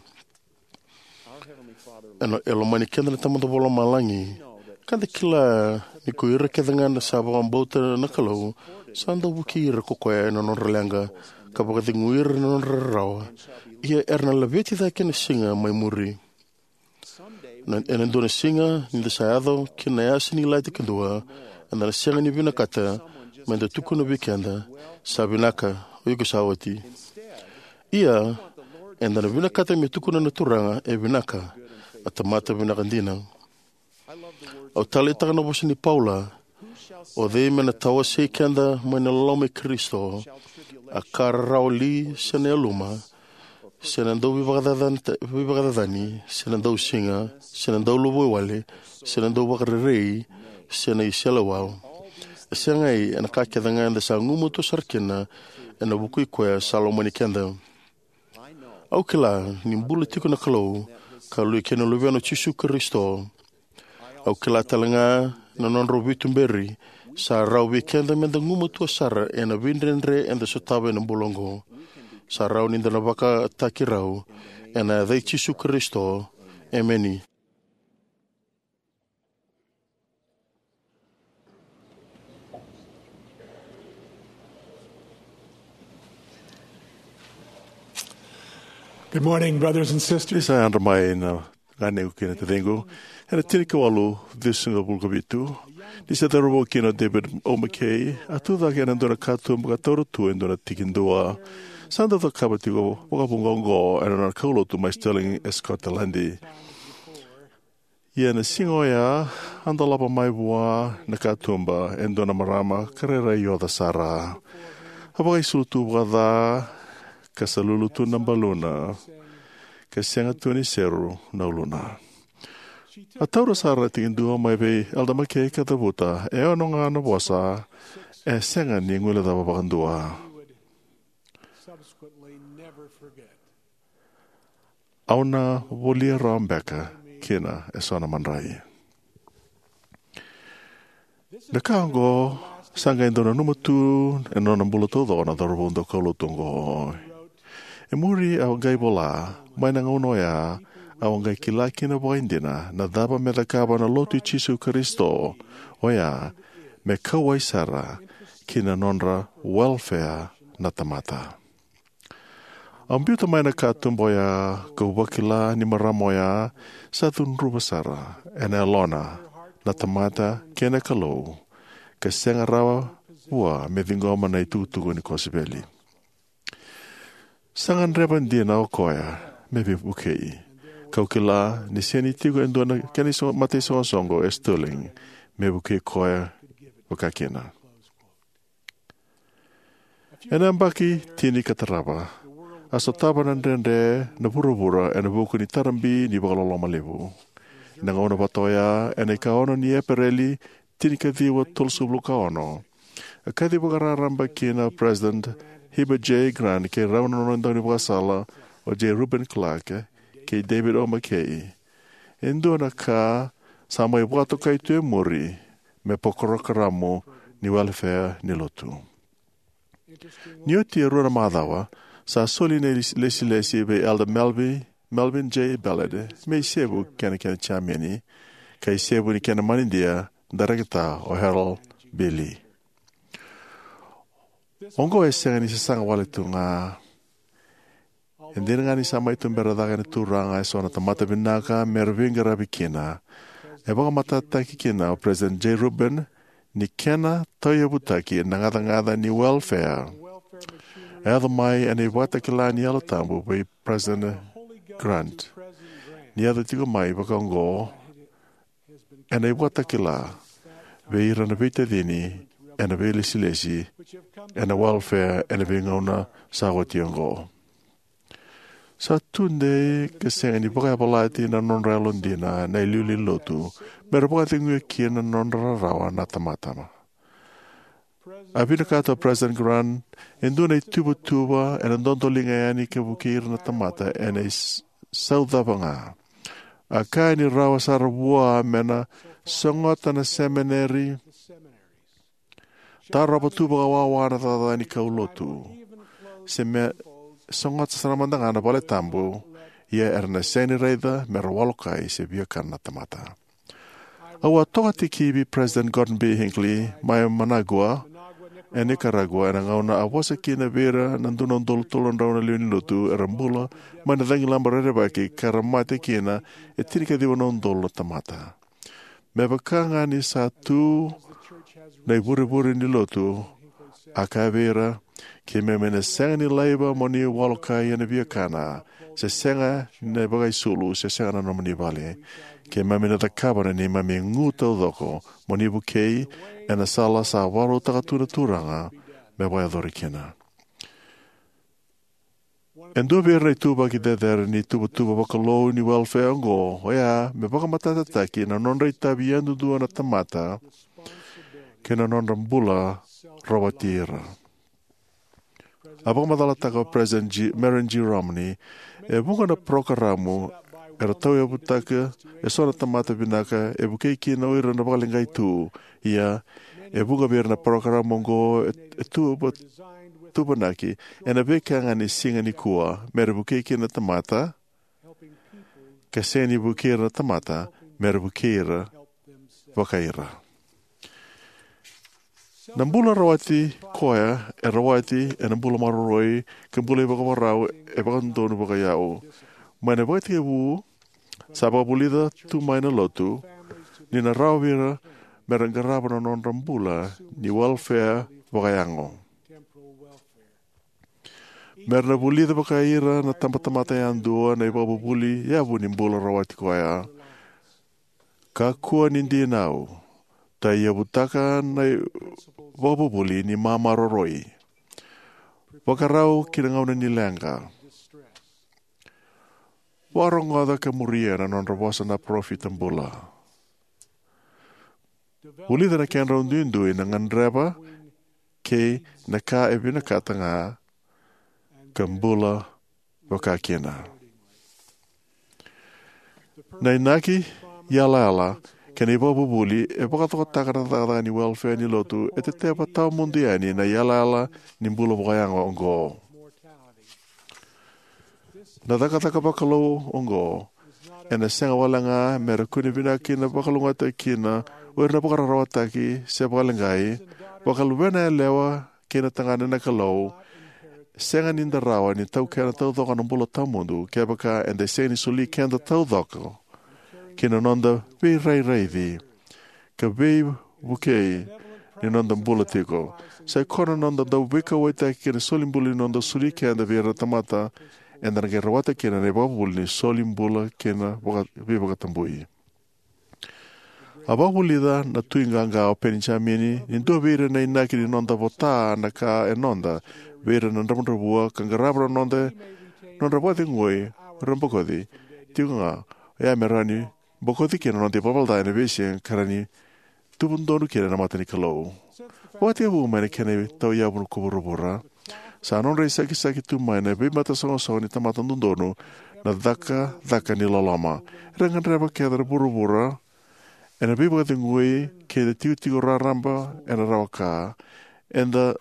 Ena, e lomani keda na Tamada Vakalomalagi, ka da kila ni ko ira kece ga na sa vakabauta na Kalou, sa dau vukei ira ko koya ena nodra leqa, ka vakacegui ira ena nodra rarawa. Ia era na laveti cake na siga mai muri. Na, ena dua na siga, ni da sa yaco ki na yasa ni ilati kadua, eda na sega ni vinakata meda tukuna vei keda, "Sa vinaka, o iko sa oti." Ia, eda na vinakata me tukuna na Turaga, "E vinaka, a tamata vinaka dina." Au taleitaka na vosa ni Paula, "O cei me na tawasei keda mai na loloma i Karisito? A ka rarawa li, se na yaluma, se na dau veivakacacani, veivakacacani, se na dausiga, se na dauluvaiwale, se na dauvakarerei, se na iseleiwau?" E segai, ena ka kece ga eda sa gumatua sara kina, ena vuku i koya sa lomani keda. Au kila ni bula tiko na Kalou, ka lui kei na Luvena o Jisu Karisito. Au kila tale ga na nodrau veituberi, sa rawa vei keda meda gumatua sara ena veidredre eda sotava ena bula oqo. Sa rawa ni da na vakataki rau, ena yaca i Jisu Karisito. Emeni. Good morning, brothers and sisters. Ni sa yadra mai na ganequ kei na taciqu. Ena tinikawalu ciwasagavulu ka vitu, ni se cauravou kina o David O. McKay, a tucake ena dua na katuba ka taura tu e dua na tikidua. Sa dau cakava tiko vakavuqa oqo ena nona kaulotu mai Stirling e Scotland. Ia na siga oya, a dolava mai vua na katuba e dua na marama ka rairai oca sara. A vakaisulu tu vakaca, ka sa lulu tu na baluna, ka sega tu ni seru na uluna. A taura sara na tikidua mai vei Elder McKay ka cavuta, e ono ga na vosa, e sega ni guilecava vakadua. Au na volia rawa beka kina eso na madrai. Na ka oqo sa qai dau nanuma tu ena nona bula taucoko na cauravou daukaulotu oqo. E muri au qai vola, mai na gauna oya au qai kila kina vakaidina na cava me cakava na Lotu i Jisu Karisito, oya me kauwai sara ki na nodra welfare na tamata. Au biuta mai na katuba oya kau vakila ni marama oya sa cudruva sara ena yalona na tamata kei na Kalou, ka sega rawa vua me ciqoma na itukutuku ni kosipeli. Sa gadreva dina o koya me veivukei, kau kila ni sega ni tiko e dua na kena iso- mataisoqosoqo e Stirling me vukei koya vakakina. Ena yabaki tini ka tarava, a sotava na dredre na vuravura ena vuku ni tarabi ni vakaloloma levu. Ena gauna vata oya, ena ika ono ni Epereli, tini ka ciwa tolusagavulu ka ono, a kaci vakararaba kina o President Heber J. Grant kei rau na nona daunivakasala o J. Reuben Clark kei David O. McKay. E dua na ka sa mai vakatokai tu e muri me parokaramu ni welefea ni lotu. Ni oti e rua na macawa, sa soli na iles- lesilesi vei Elder Melvin, Melvin J. Ballard me isevu kei na kena jiameni, ka isevu ni kena manidia darekita o Harold B. Lee. Oqo e sega ni sasaga wale tu ga. E dina ga ni sa mai tubera cake na Turaga eso na tamata vinaka me ra veiqaravi kina, e vakamatatataki kina o President J. Reuben ni kena tauyavutaki na gacagaca ni welefea. E yaco mai ena ivakatakila ni Yalo Tabu vei President Grant. Ni yaco tiko mai vakaoqo ena ivakatakila vei ira na veitacini ena veilesilesi ena welefea ena veigauna sa oti oqo. Sa tudei ka sega ni vakayavalati na nodra yalodina na iliuliu ni lotu me ra vakaceguya kina na nodra rarawa na tamata. A vinakata o President Grant e dua na ituvatuva ena dodoliga yani ka vukei ira na tamata ena is- sau cava ga. A kaya ni rawa sara vua me na sogota na semineri, tarova tu vakawawa na cakacaka ni kaulotu, se me sogota sara mada ga na vale tabu, ia era na sega ni raica me ra walokai se viakana na tamata. Au a toka tikivi President Gordon B. Hinckley mai Managua, e Nicaragua, ena gauna a vosa kina vei ira na dua na udolu tolu na drau na lewe ni lotu era bula mai na cagilaba rerevaki ka ra mate kina e tinikaciwa na udolu na tamata. Me vaka ga ni sa tu na ivurevure ni lotu, a kaya vei ira, keimami na sega ni laiva mo ni walokai ena viakana, se sega na vakaisulu, se sega na nomuni vale. Keimami na cakava na neimami gu taucoko mo ni vukei ena sala sa vakarautaka tu na Turaga me vakayacori kina. E dua vei ira na ituvaki cecere ni tuvatuva vakalou ni welefea oqo, oya me vakamatatataki na nodra itavi yadudua na tamata kei na nodra bula rawati ira. A vakamacalataka o President G- Marion G. Romney, e vuqa na parokaramu era tauyavutaka eso na tamata vinaka e vukei kina o ira na vakaleqai tu. Ia, e vuqa vei ira na parokaramu oqo e, e tuva- tuvanaki ena veika ga ni siga nikua me ra vukei kina na tamata, ka sega ni vukei ira na tamata me ra vukei ira vakai ira. Na bula rawati koya e rawati ena bula maroroi ka bula vakavakarau e vakadodonu vakaiyau. Mai na ivakatekivu sa vakavulica tu mai na lotu ni na rawa vei ira me ra qarava na nodra bula ni welefea vakayago. Me ra na vulica vakai ira na tabatamata yadua na ivakavuvuli yavu ni bula rawati koya. Kakua ni dinau, tauyavutaka na ivakavuvuli ni mamaroroi. Vakarau ki na gauna ni leqa. Vakarogoca ka muria na nodra vosa na parofita bula. Vulica na kedrau duidui na gadreva kei na ka e vinakata ga ka bula vakakina. Na inaki, yalayala kei na ivakavuvuli e vakatokataka na cakacaka ni welefea ni lotu e teteva tawamudu yani na yalayala ni bula vakayago oqo. Na cakacaka vakalou oqo ena sega wale ga me ra kune vinaka kina, vakalougatataki kina o ira na vakararawataki se vakaleqai, vakaluvena yalewa kei na tagane na Kalou, sega ni da rawa ni taukena taucoko na bula tawamudu kevaka eda sega ni soli keda taucoko ki na noda veirairaici ka veivukei ni noda bula tiko. Sai koya na noda dau veikauwaitaki kei na solibula ni noda soli keda vei ira na tamata eda na qai rawata kina na ivakavuvuli ni solibula kei na vaka- veivakatabui. A vakavulica na tui qaqa o Penijamini ni dua vei ira na inaki ni noda vota na ka e noda vei ira na dravudravua ka qarava na noda nodra vakacegui o ira bokoci tiko ga, oya me rawa ni bokoci kina na noda ivalavala ca ena veisiga ka rawa ni tubu donu kina ena mata ni Kalou. Vakatekivu mai na kena tauyavu ko vuravura, sa nodra isakisaki tu mai na veimataisoqosoqo ni tamata dodonu na cakacaka ni loloma. Era gadreva kece na vuravura ena veivakacegui kei na tikotiko raraba ena rawa ka. Eda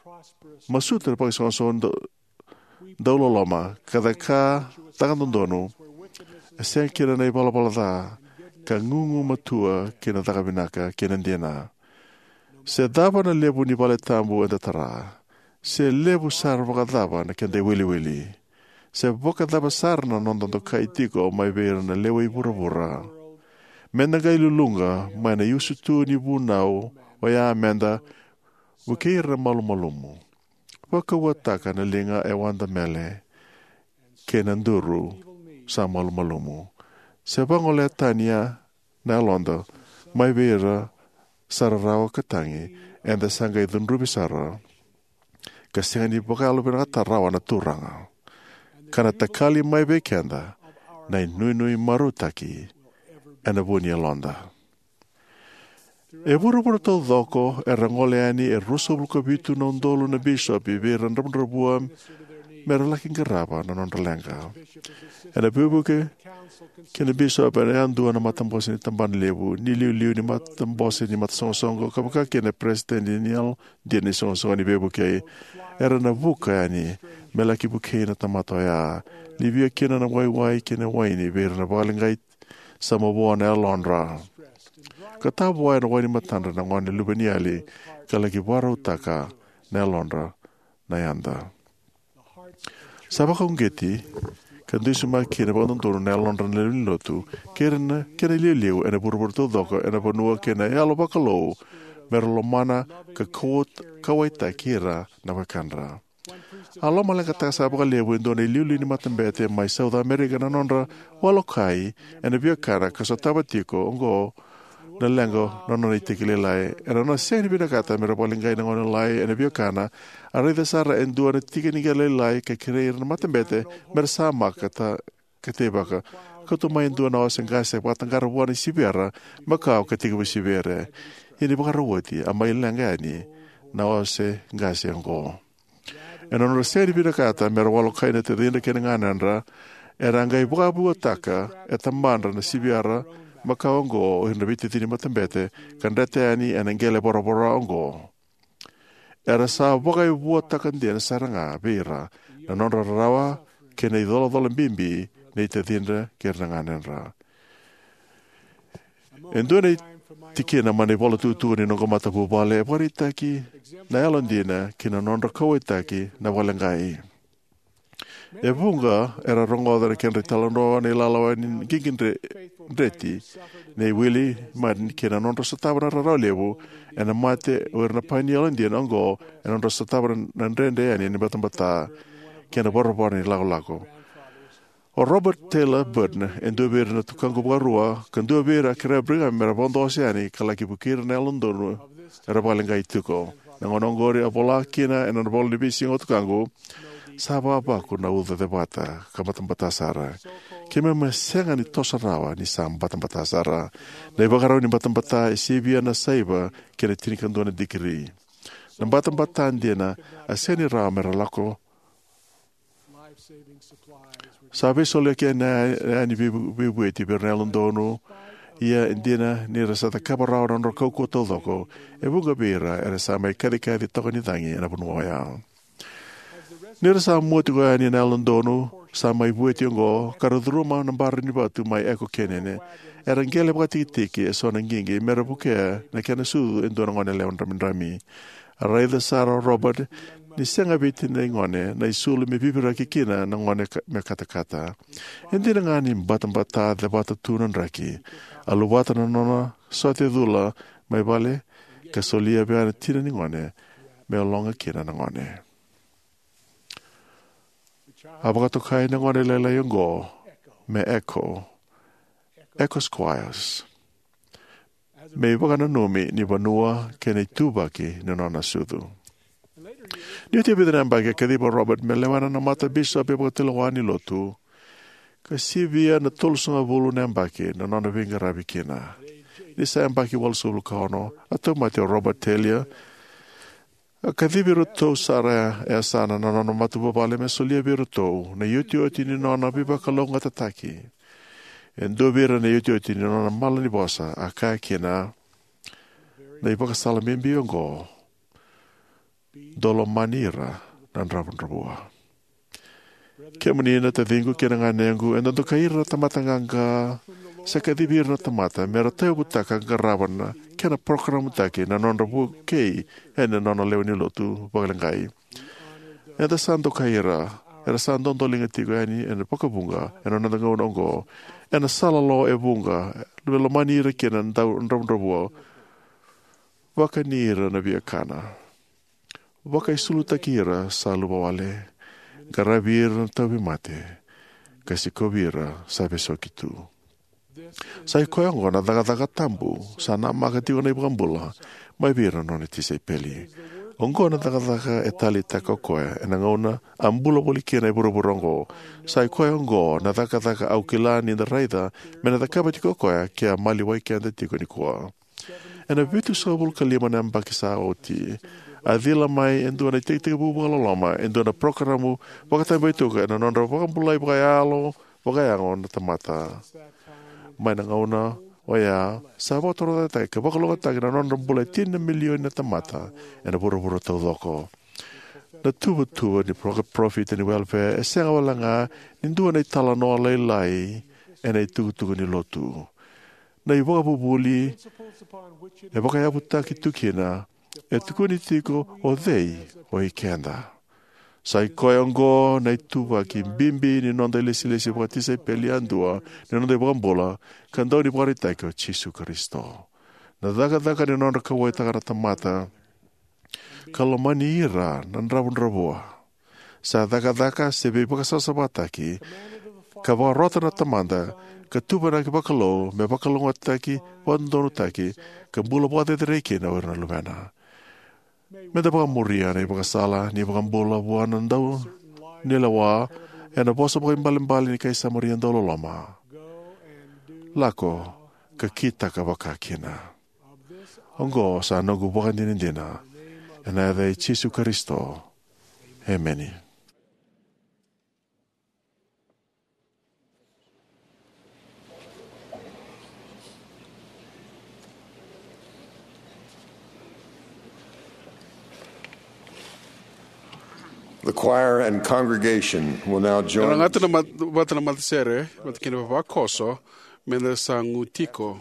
masuta na vakaisoqosoqo dau- dauloloma ka caka caka dodonu. E sega kina na ivalavala ca ka gugumatua ki na caka vinaka kei na dina. Se cava na levu ni vale tabu eda tara, se levu sara vakacava na keda iwiliwili, se vakacava sara na noda dokai tiko mai vei ira na lewe i vuravura, meda qai luluqa mai na iusutu ni vunau, oya meda vukei ira na malumalumu, vakauataka na liga e wadamele kei na duru sa malumalumu, se vagolea tani na yaloda mai vei ira sa rarawa ka tagi, eda sa qai cudruvi sara ka sega ni vakayalovinakataka rawa na Turaga, ka na takali mai vei keda na inuinui marautaki ena vu ni yaloda. E vuravura taucoko era gole yani e ruasagavulu ka vitu na udolu na bisopi vei ira na dravudravua me ra laki qarava na nodra leqa. Ena veivuke kei na bisopi ena yadua na matabose ni tabana levu, na iliuliu ni matabose ni matasoqosoqo, ka vaka kina na peresitedi ni yalodina ni soqosoqo ni veivukei. Era na vuka yani me laki vukei na tamata oya, livia kina na waiwai kei na waini vei ira na vakaleqai sa mavoa na yalodra, ka tavoya ena wainimatadra na gone luveniyali, ka laki vakarautaka na yalodra na yada. Sa vakauqeti ka dusimaki kina vakadodonu na yalodra na lewe ni lotu kei ira na kena iliuliu ena vuravura taucoko ena vanua kei na yalo vakalou me ra lomana ka kau- kauwaitaki ira na wekadra. A lomaleqataka sara vakalevu e dua na iliuliu ni matabete mai South America na nodra walokai ena viakana ka sotava tiko oqo na leqa na nona iteki lailai. Ena nona sega ni vinakata me ra vakaleqai na gone lalai ena viakana, a raica sara e dua na tiki ni qele lailai ka kerei ira na matabete me ra samaka ka ta- ka teivaka. Kauta mai e dua na ose qase vakataqara vua na siviyara makawa ka tekivu siviyara. Ia ni vakarau oti a mai leqa yani na ose qase oqo. Ena nodra sega ni vinakata me ra walokai na tacidra kei na ganedra, era a qai vakavuataka e tabadra na siviyara makawa oqo o ira na veitacini matabete ka dreta yani ena qele voravora oqo. Era sa vakaivuataka dina sara ga vei ira na nodra rarawa kei na icolacola bibi nei tacidra kei ira na ganedra. E dua na tikina mai na ivola tukutuku ni noqu matavuvale e vakaraitaki na yalodina kei na nodra kauwaitaki na vakaleqai. E vuqa era rogoca na kedra italanoa na ilalawa ni qiqi dre- dreti nei Willie Martin kei na nodra sotava na rarawa levu ena mate o ira na painia yalodina oqo, ena nodra sotava na dredre yani ni batabata kei na voravora ni lakolako. O Robert Taylor Burton, e dua vei ira na tukaqu vakarua ka dua vei ira a kerea o Brigham me ra vodo ose yani ka laki vukei ira na yalododonu era vakaleqai tiko. Na gauna oqori a vola kina ena nona ivola ni veisiga o tukaqu, sa vavaku na uca cevata ka batabata sara. Keimami a sega ni toso rawa ni sa batabata sara. Na ivakarau ni batabata e sivia na saiva kei na tinikadua na dikiri. Na batabata dina a sega ni rawa me ra lako Sa veisoliyaki yani na veivueti vei ira na yalododonu. Ia e dina ni ra sa cakava rawa na nodra kaukauwa taucoko, e vuqa vei ira era sa mai kacikaci toka ni cagi ena vanua oya. Ni ra sa mua tiko yani na yalododonu sa mai vueti oqo, ka ra curuma na bari ni vatu mai Echo Canyon, era qele vakatikitiki eso na qiqi me ra vukea na kena sucu e dua na goneyalewa dramidrami. A raica sara o Robert ni sega vei tinai gone na isulu me viviraki kina na gone ka-, me katakata. E dina ga ni batabata cevata tu na draki, a luvata na nona sote cula mai vale ka solia vei na tina ni gone me ologa kina na gone. A vakatokai na gone lailai oqo me Echo, Echo Squires, me ivakananumi ni vanua kei na ituvaki ni nona sucu. Ni oti e vica na yabaki, a kacivi Robert me lewena na mata bisopi vakatulewa ni lotu, ka sivia na tolusagavulu na yabaki na nona veiqaravi kina. Ni sa yabaki walusagavulu ka ono, a tauvimate o Robert Taylor. A kacivi iratou sara e yasana na nona matavuvale me solia vei iratou na iotioti ni nona veivakalougatataki. E dua vei ira na iotioti ni nona malanivosa, a kaya kina, na ivakasala bibi oqo: Dou lomani ira na dravudravua. Kemuni na taciqu kei na ganequ, eda dokai ira na tamata qaqa sa kacivi ira na tamata me ra tauyavutaka ka qarava na kena parokaramu taki na nodra vukei ena nona lewe ni lotu vakaleqai. Eda sa dokai ira era sa dodoliga tiko yani ena vakavuqa ena noda gauna oqo, ena sala lo e vuqa, me lomani ira kina na dau-, dravudravua, vakani ira na viakana, vakaisulutaki ira sa luvawale, qaravi ira na tauvimate, ka sikovi ira sa vesuki tu. Sa i koya oqo na cakacaka tabu sa namaka tiko na iVakabula mai vei ira na nona tisaipeli. Oqo na cakacaka e taleitaka o koya ena gauna a bula voli kina e vuravura oqo. Sa i koya oqo na cakacaka au kila ni da raica me na cakava tiko o koya ke a maliwai keda tiko nikua. Ena vitusagavulu ka lima na yabaki sa oti, a cila mai e dua na itekitekivu vakaloloma, e dua na parokaramu vakatabetuka ena nodra vakabulai vakayalo, vakayago na tamata. Mai na gauna oya, sa vakatorocaketaki ka vakalougatataki na nodra bula e tini na milioni na tamata ena vuravura taucoko. Na tuvatuva ni pro-, parofita ni welfare e sega wale ga ni dua na italanoa lailai ena itukutuku ni lotu. Na ivakavuvuli e vakayavutaki tu kina e tukuni tiko o cei o ikeda. Sa i koya oqo na ituvaki bibi ni noda ilesilesi vakatisaipeli yadua ni noda iVakabula ka Daunivakaraitaki o Jisu Karisito. Na cakacaka ni nodra kauwaitaka na tamata ka lomani ira na dravudravua sa cakacaka se veivakasavasavataki ka vakarota na Tamada ka tuvanaki vakalou me vakalougatataki, vakadodonutaki, ka bula vakacerecerei kina o ira na luvena. Me da vakamuria na ivakasala ni iVakabula vua na daunilewa ena vosa vakaibalebale ni kai Samaria dauloloma: Lako ka kitaka vakakina. Oqo sa noqu ivakadinadina ena yaca i Jisu Karisito. Emeni. The choir and congregation will now join. Ena gata na mat-, vata na matasere, vata kina vavakoso, me da sa gu tiko.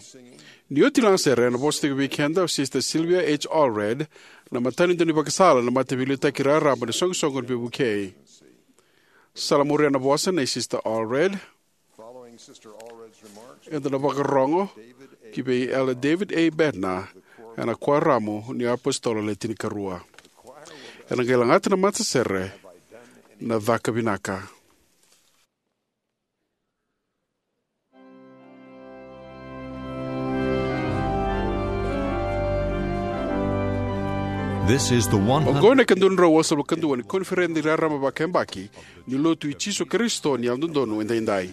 Ni oti na sere, ena vosa tiko vei keda o Sister Sylvia H. Allred, na matanitu ni vakasala na Mataveiliutaki Raraba ni Soqosoqo ni Veivukei. Sa la muria na vosa nei Sister Allred. Eda na vakarorogo ki vei Elder David A. Bednar ena Kuaramu ni iApositolo Le Tinikarua. Ena qai lagata na matasere na Caka Vinaka. This is the one hundred. Oqo na ika dua na drau walusagavulu ka dua ni Koniferedi Raraba Vakayabaki ni Lotu i Jisu Karisito ni Yalododonu Edaidai.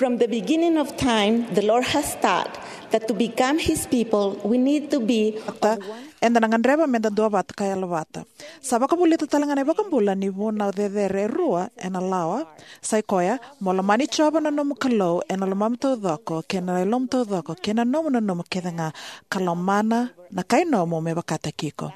From the beginning of time, the Lord has taught that to become His people, we need to be. Eda na gadreva meda duavata ka yalovata. Sa vakavulica tale ga na iVakabula ni vunau cecere e rua ena lawa. Sa i koya, mo lomani Jiova na nomu Kalou ena lomamu taucoko, kei na yalomu taucoko, kei na nomu nanuma kece ga, ka lomana na kai nomu me vakataki iko.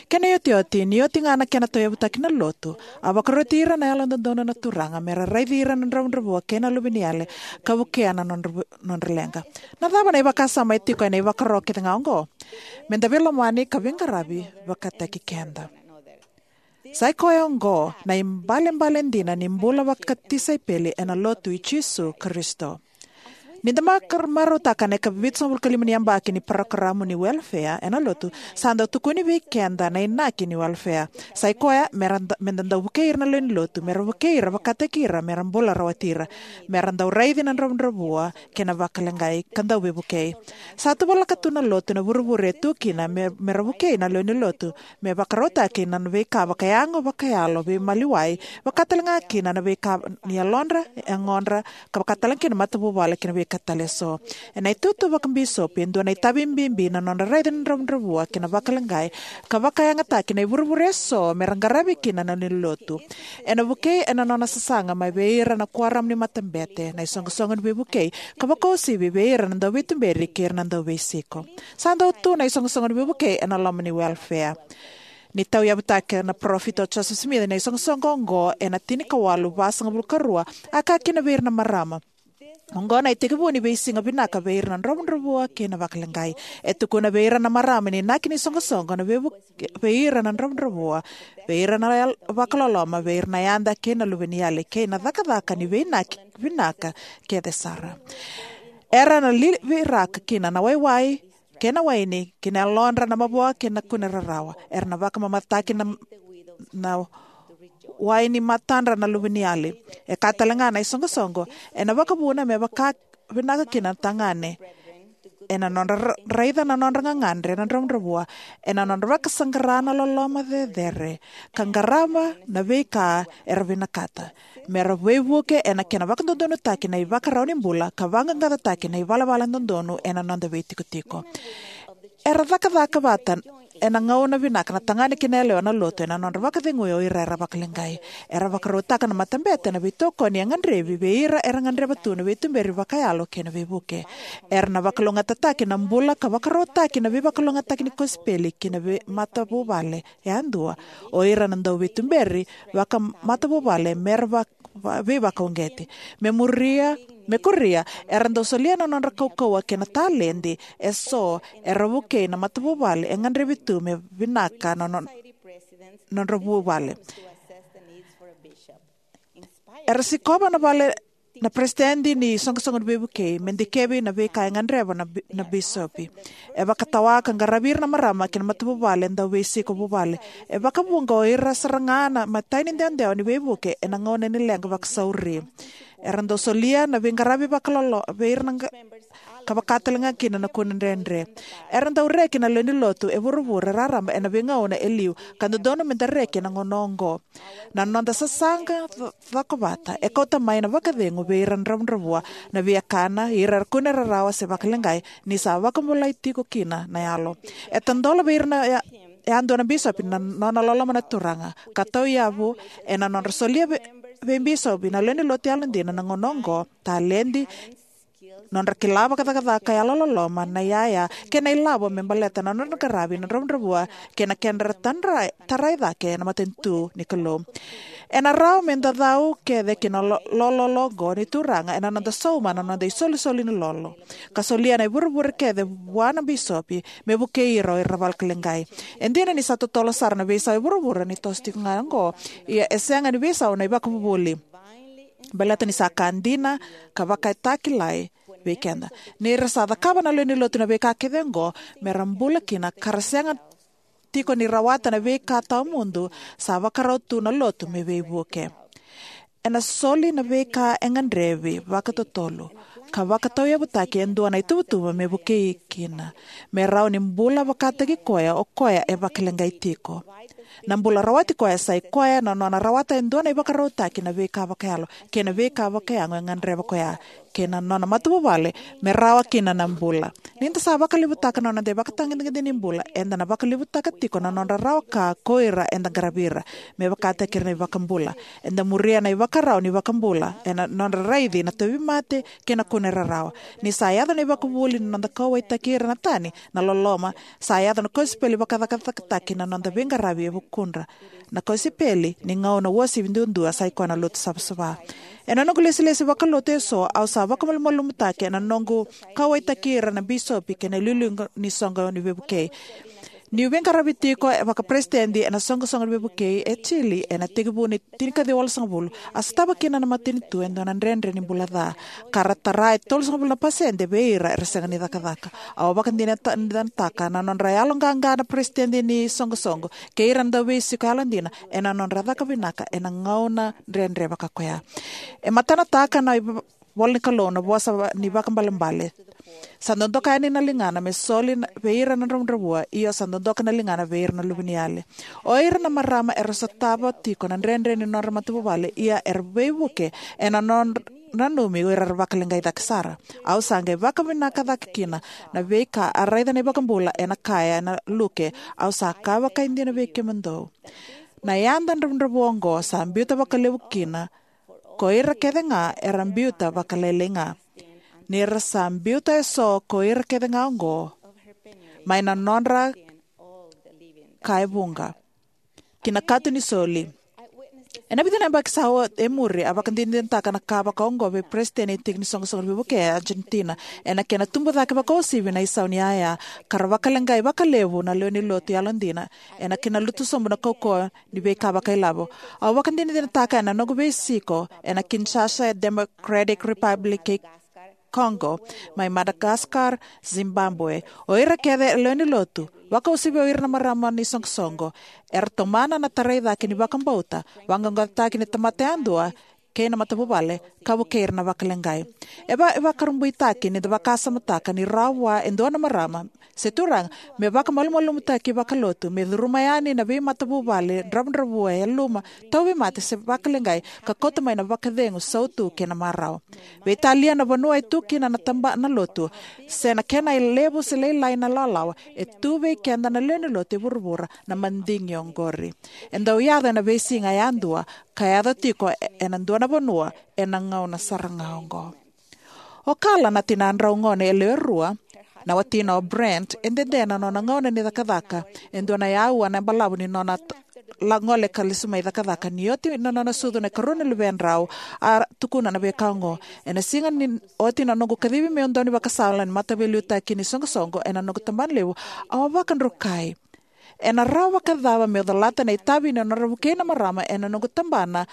Kena iotioti, ni oti ga na kena tauyavutaki na lotu, a vakaroti ira na yalododonu na Turaga me ra raici ira na dravudravua kei na luveniyale, ka vukea na nodra, nodra leqa. Na cava na ivakasama e tiko ena ivakaro kece ga oqo? Meda veilomani ka veiqaravi vakataki keda. Sa i koya oqo na ibalebale dina ni bula vakatisaipeli ena lotu i Jisu Karisito. Ni da maka-, marautaka na ikavitusagavulu ka lima ni yabaki ni parokaramu ni welfare ena lotu, sa dau tukuni vei keda na inaki ni welfare. Sa i koya, mera da-, meda dau vukei ira na lewe ni lotu, mera vukei ira vakataki ira, mera bula rawati ira, mera dau raici na dravudravua kei na vakaleqai, ka dau veivukei. Sa tuvalaka tu na lotu ena vuravura e tu kina, me, mera vukei na lewe ni lotu me vakarautaki na veika vakayago, vakayalo, veimaliwai, vakatalega kina na veika ni yalodra, yagodra, ka vakatalega kina matavuvale kei na veika tale eso. Ena itutu vakabisopi, e dua na itavi bibi na nodra raici na dravudravua kei na vakaleqai, ka vakayagataki na ivurevure eso mera qaravi kina na lewe ni lotu. Ena vukei ena nona sasaga mai vei ira na kuoramu ni matabete, na isoqosoqo ni veivukei, ka vakauasivi vei ira na dauveituberi kei ira na dauveisiko. Sa dau tu na isoqosoqo ni veivukei ena loma ni welfare. Ni tauyavutaka na parofita o Joseph Smith na isoqosoqo oqo ena tinikawalu vasagavulu ka rua, a kaya kina vei ira na marama: Oqo na itekivu ni veisiga vinaka vei ira na dravudravua kei na vakaleqai. E tukuna vei ira na marama ni inaki ni soqosoqo na veivuke vei ira na dravudravua, vei ira na yal-, vakaloloma, vei ira na yada kei na luveniyale, kei na cakacaka ni veiinaki vinaka kece sara. Era na liviraka kina na waiwai kei na waini ki na yalodra na mavoa kei na kune rarawa. Era na vakamamatataki na, na wai ni matadra na luveniyale. E kaya talega na isoqosoqo, ena vakavuna me vaka vinaka kina na tagane ena nodra ra-, raica na nodra gagadre na dravudravua, ena nodra vakasaqara na loloma cecere, ka qarava na veika era vinakata, mera veivuke ena kena vakadodonutaki na ivakarau ni bula, ka vaqaqacotaki na ivalavala dodonu ena noda veitikotiko. Era cakacaka vata ena gauna vinaka na tagane kei na yalewa na lotu ena nodra vakacegui o ira era vakaleqai. Era vakarautaka na matabete ena veitokoni e gadrevi vei ira era gadreva tu na veituberi vakayalo kei na veivuke. Era na vakalougatataki na bula ka vakarautaki na veivakalougatataki ni kosipeli ki na vei-, matavuvale yadua, o ira na dauveituberi vakamatavuvale mera va-, va-, veivakauqeti. Me muria, me kuria, era dau solia na nodra kaukauwa kei na taledi eso era vukei na matavuvale e gadrevi tu me vinaka na no-, nodra vuvale. Era sikova na vale na peresitedi ni soqosoqo ni veivukei me dikevi na veika e gadreva na bi-, na bisopi. E vakatawa ka qaravi ira na marama kei na matavuvale dauveisiko vuvale. E vakavuqa o ira sara ga na imatai ni dewadewa ni veivuke ena gauna ni leqa vakasauri. Era dau solia na veiqaravi vakalolo vei ira na qa-, ka vaka talega kina na kune dredre. Era dau reki na lewe ni lotu e vuravura raraba ena veigauna e liu, ka dodonu meda reki ena gauna oqo. Na noda sasaga co-, cokovata e kauta mai na vakacegu vei ira na dravudravua, na viakana, ira era kune rarawa se vakaleqai, ni sa vakabulai tiko kina na yalo. E tadola vei ira na ya-, yadua na bisopi na nona loloma na Turaga, ka tauyavu ena nodra solia vei, vei bisopi na lewe ni lotu yalodina na gauna oqo, taledi, nodra kila vakacakacaka, yalololoma, na iyaya kei na ilavo me baleta na nodra qaravi na dravudravua kei na kedra tadra-, tarai cake na matanitu ni Kalou. Ena rawa meda cau kece ki na lo-, lololo oqo ni Turaga ena noda sauma na noda isolisoli ni lolo, ka solia na ivurevure kece vua na bisopi me vukei ira o ira vakaleqai. E dina ni sa totolo sara na veisau e vuravura ni toso tiko ga oqo, ia e sega ni veisau na ivakavuvuli, baleta ni sa ka dina ka vakaitakilai vei keda. Ni ra sa cakava na lewe ni lotu na veika kece oqo mera bula kina, ka ra sega tiko ni rawata na veika tawamudu, sa vakarau tu na lotu me veivuke. Ena soli na veika e gadrevi vakatotolo ka vakatauyavutaki e dua na ituvatuva me vukei kina, me rawa ni bula vakataki koya o koya e vakaleqai tiko. Na bula rawati koya sa i koya na nona rawata e dua na ivakarautaki na veika vakayalo kei na veika vakayago e gadreva koya. kei na nona matavuvale me rawa kina na bula. Ni da sa vakalevutaka na noda ivakatagedegede ni bula, eda na vakalevutaka tiko na nodra rawa ka ko ira eda qaravi ira. Me vakataki ira na iVakabula, eda muria na ivakarau ni iVakabula ena nodra raici na tauvimate kei na kunei rarawa. Ni sa yaco na ivakavuvuli ni noda kauwaitaki ira na tani, na loloma, sa yaco na kosipeli vakacakacakataki na noda veiqaravi e vukudra. Na kosipeli ni gauna uasivi duadua sa i koya na lotu savasava. Ena noqu lesilesi vakalotu eso, au sa vakamalumalumutaki ena noqu kauwaitaki ira na bisopi kei na iliuliu ni soqo ni veivukei. Niu veiqaravi tiko e vakaperesitedi ena soqosoqo ni veivukei e Chile ena tekivu ni tinikaciwa walusagavulu, a sotava kina na matanitu e dua na dredre ni bula ca, ka ra tara e tolusagavulu na pasede vei ira era sega ni cakacaka. Au vakadinadinataka na nodra yaloqaqa na peresitedi ni soqosoqo kei ira na dauveisiko yalodina ena nodra caka vinaka ena gauna dredre vaka koya. E matanataka na iv- ivola ni Kalou na vosa va- ni vakaibalebale: Sa dodoka yani na ligana me soli na- vei ira na dravudravua, io, sa dodoka na ligana vei ira na luveniyali. O ira na marama era sotava tiko na dredre ni nodra matavuvale, ia era veivuke ena nodra nanumi o ira era vakaleqai cake sara. Au sa qai vakavinaka cake kina na veika a raica na iVakabula ena kaya ena Luke: Au sa kaya vakaidina vei kemudou, na yada dravudravua oqo sa biuta vakalevu kina ko ira kece ga era biuta vakalailai ga, ni ra sa biuta eso ko ira kece ga oqo mai na nodra ka e vuqa ki na kato ni soli. Ena vica na yabaki sa oti e muri, a vakadinadinataka na ka vakaoqo vei peresitedi ni tiki ni soqosoqo ni veivukei e Argentina. Ena kena tubu cake vakauasivi na isau ni yaya, ka ra vakaleqai vakalevu na lewe ni lotu yalodina ena kena lutu sobu na kaukauwa ni veika vakailavo. Au vakadinadinataka ena noqu veisiko ena Kinshasa e Democratic Republic kei Congo, mai Madagascar, Zimbabwe. O ira kece e lewe ni lotu, vakauasivi o ira na marama ni soqosoqo, era tomana na tarai cake ni vakabauta, vaqaqacotaki ni tamata yadua kei na matavuvale, ka vukei ira na vakaleqai. E va- e vakarabuitaki ni da vakasamataka ni rawa vua e dua na marama se turaga me vakamalumalumutaki vakalotu, me curuma yani na veimatavuvale dravudravua e yaluma, tauvimate se vakaleqai, ka kauta mai na vakacegu, sautu kei na marau. Veitalia na vanua e tu kina na tabana lotu, se na kena e levu se lailai na lawalawa, e tu vei keda na lewe ni lotu e vuravura na madigi oqori. E dau yaco ena veisiga yadua, ka yaco tiko e- ena dua na vanua ena gauna sara ga oqo. O Carla, na tinadrau gone e lewe rua, na watina o Brent, e dede na nona gauna ni cakacaka e dua na aua na balavu ni nona t- la gole ka lesu mai cakacaka. Ni oti na nona sucu na ikarua ni luvedrau, a tukuna na veika oqo: Ena siga ni oti na noqu kacivi meu daunivakasala ni mataveiliutaki ni soqosoqo ena noqu tabanalevu, au a vakadrukai, ena rawa vakacava meu colata na itavi ni nodra vukei na marama ena noqu tabana,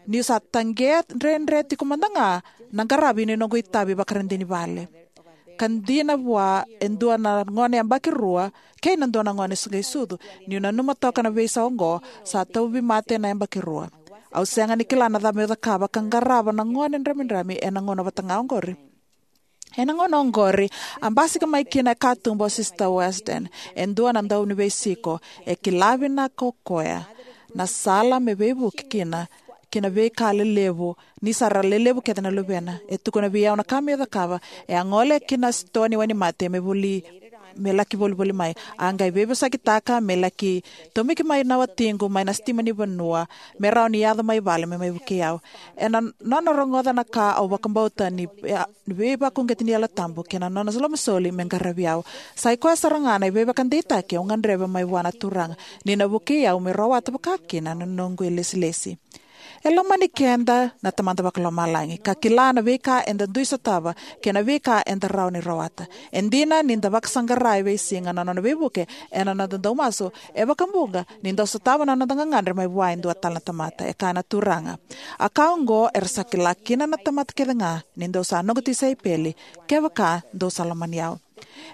niu sa taqea dredre tiko mada ga na qaravi ni noqu itavi vakaradini vale, ka dina vua e dua na gone yabaki rua kei na dua na gone suqai sucu. Niu nanuma toka na veisau oqo, sa tauvimate na yabaki rua. Au sega ni kila na cava meu cakava ka qarava na gone dramidrami ena gauna vata ga oqori. Ena gauna oqori, a basika mai kina e katuba o Sister Weston, e dua na dauniveisiko. E kila vinaka o koya na sala me veivuke kina ki na veika lelevu, ni sa ra lelevu kece na luvena. E tukuna vei au na ka meu cakava: e a gole ki na sitoa ni wainimate me voli, me laki volivoli mai. A qai veivosakitaka me laki tomiki mai na watiqu mai na sitima ni vanua, me rawa ni yaco mai vale me mai vukei au. Ena nona rogoca na ka au vakabauta ni, ni veivakauqeti ni Yalo Tabu kei na nona lomasoli me qaravi au. Sa i koya sara ga na veivakadeitaki au gadreva mai vua na Turaga, ni na vukei au meu rawata vakakina na noqu ilesilesi. E lomani keda na Tamada Vakalomalagi, ka kila na veika eda dui sotava kei na veika eda rawa ni rawata. E dina ni da vakasaqara e veisiga na nona veivuke ena noda dau masu, e vakabuqa ni dau sotava na noda gagadre mai vua e dua tale na tamata. E kaya na Turaga: A ka oqo era sa kila kina na tamata kece ga, ni dou sa noqu tisaipeli, kevaka dou sa lomani au.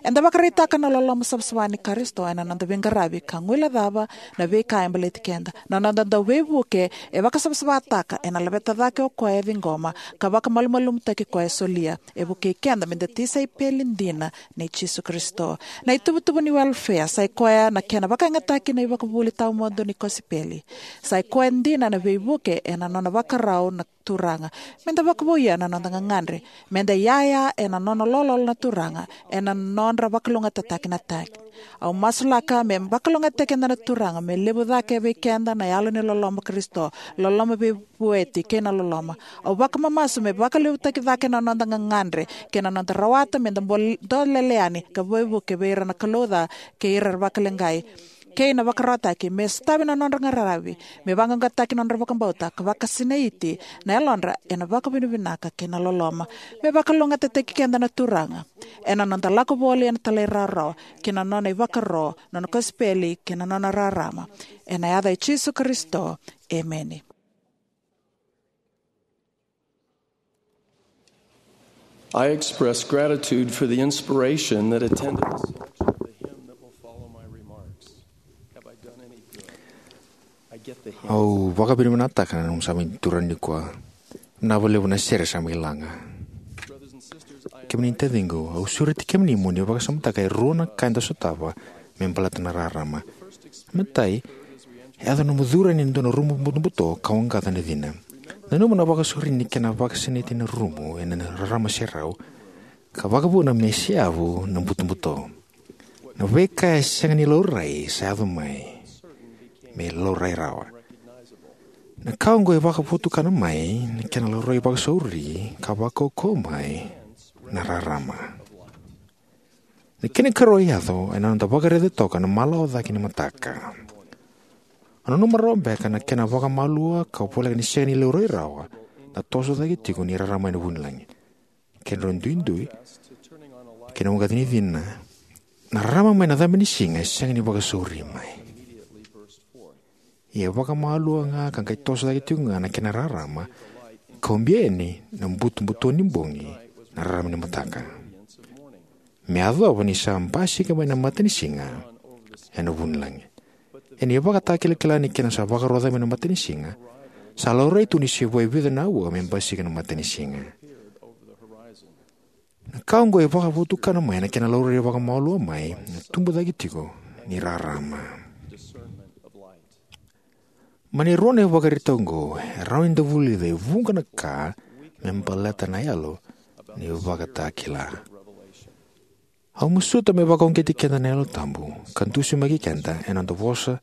Eda vakaraitaka na loloma savasava ni Karisito ena noda veiqaravi ka guilecava na veika e baleti keda. Na noda dau veivuke e vakasavasavataka ena laveta cake o koya e ciqoma ka vakamalumalumutaki koya e solia. E vukei keda meda tisaipeli dina nei Jisu Karisito. Na ituvatuva ni welefea sai koya na kena vakayagataki na ivakavuvuli tawamudu ni kosipeli. Sai koya dina na veivuke ena nona vakarau na Turaga. Meda vakavouya na noda gagadre. Meda iyaya ena nona lololo na Turaga ena nodra vakalougatataki na tagi. Au masulaka me vakalougatataki keda na Turaga, me levu cake vei keda na yalo ni loloma Karisito, loloma veivueti kei na loloma. Au vakamamasu me vakalevutaki cake na noda gagadre kei na noda rawata meda bol-, dolele yani ka veivuke vei ira na kalou ca kei ira vakaleqai, kei na vakararawataki me sotavi na nodra qararavi, me vaqaqataki na nodra vakabauta ka vakasinaiti na yalodra ena vakavinavinaka kei na loloma. Me vakalougatataki keda na Turaga ena noda lako voli ena talairawarawa ki na nona ivakaro, nona kosipeli kei na nona rarama. Ena yaca i Jisu Karisito, emeni. I express gratitude for the inspiration that attended the selection of the hymn that will follow my remarks. Have I done any good? I get the hymn. Au vakavinavinakataka na nomu sa mai turaga nikua. Vinaka vakalevu na sere sa mai laga. Brothers and sisters, I kemuni na taciqu, au sureti kemuni mo ni vakasamataka e rua na ka eda sotava me baleta na rarama. Matai, e yaco na nomu curu yani e dua na rumu butobuto ka waqaca na cina. Nanuma na vakasauri ni kena vakasinaiti na rumu ena rarama serau, ka vakavuna me seyavu na butobuto. Na veika e sega ni laurai sa yaco mai me laurai rawa. Na ka oqo e vakavotukana mai na kena laurai vakasauri ka vakaukauwa mai na rarama. Na kena ikarua e yaco ena noda vakaraica toka na malawa cake ni mataka. O nanuma rawa beka na kena vakamalua ka voleka ni sega ni laurai rawa na toso cake tiko ni rarama ena vunilagi. Kedrau duidui, kei na waqaci ni cina, na rarama mai na cabe ni siga e sega ni vakasauri mai. Ia e vakamalua ga ka qai toso cake tiko ga na kena rarama, ka ubia yani na butobuto ni bogi na rarama ni mataka. Me yacova ni sa basika mai na matanisiga ena vunilagi. Ena ivakatakilakila ni kena sa vakaroca mai na matanisiga, sa laurai tu ni se vo e vica na aua me basika na matanisiga. Na ka oqo e vakavotukana mai na kena laurai vakamalua mai na tubu cake tiko ni rarama. Mai na rua na ivakaraitaki oqo, e rawa ni da vulica e vuqa na ka me baleta na yalo ni ivakatakila. Au masuta me vakauqeti keda na Yalo Tabu ka dusimaki keda ena noda vosa,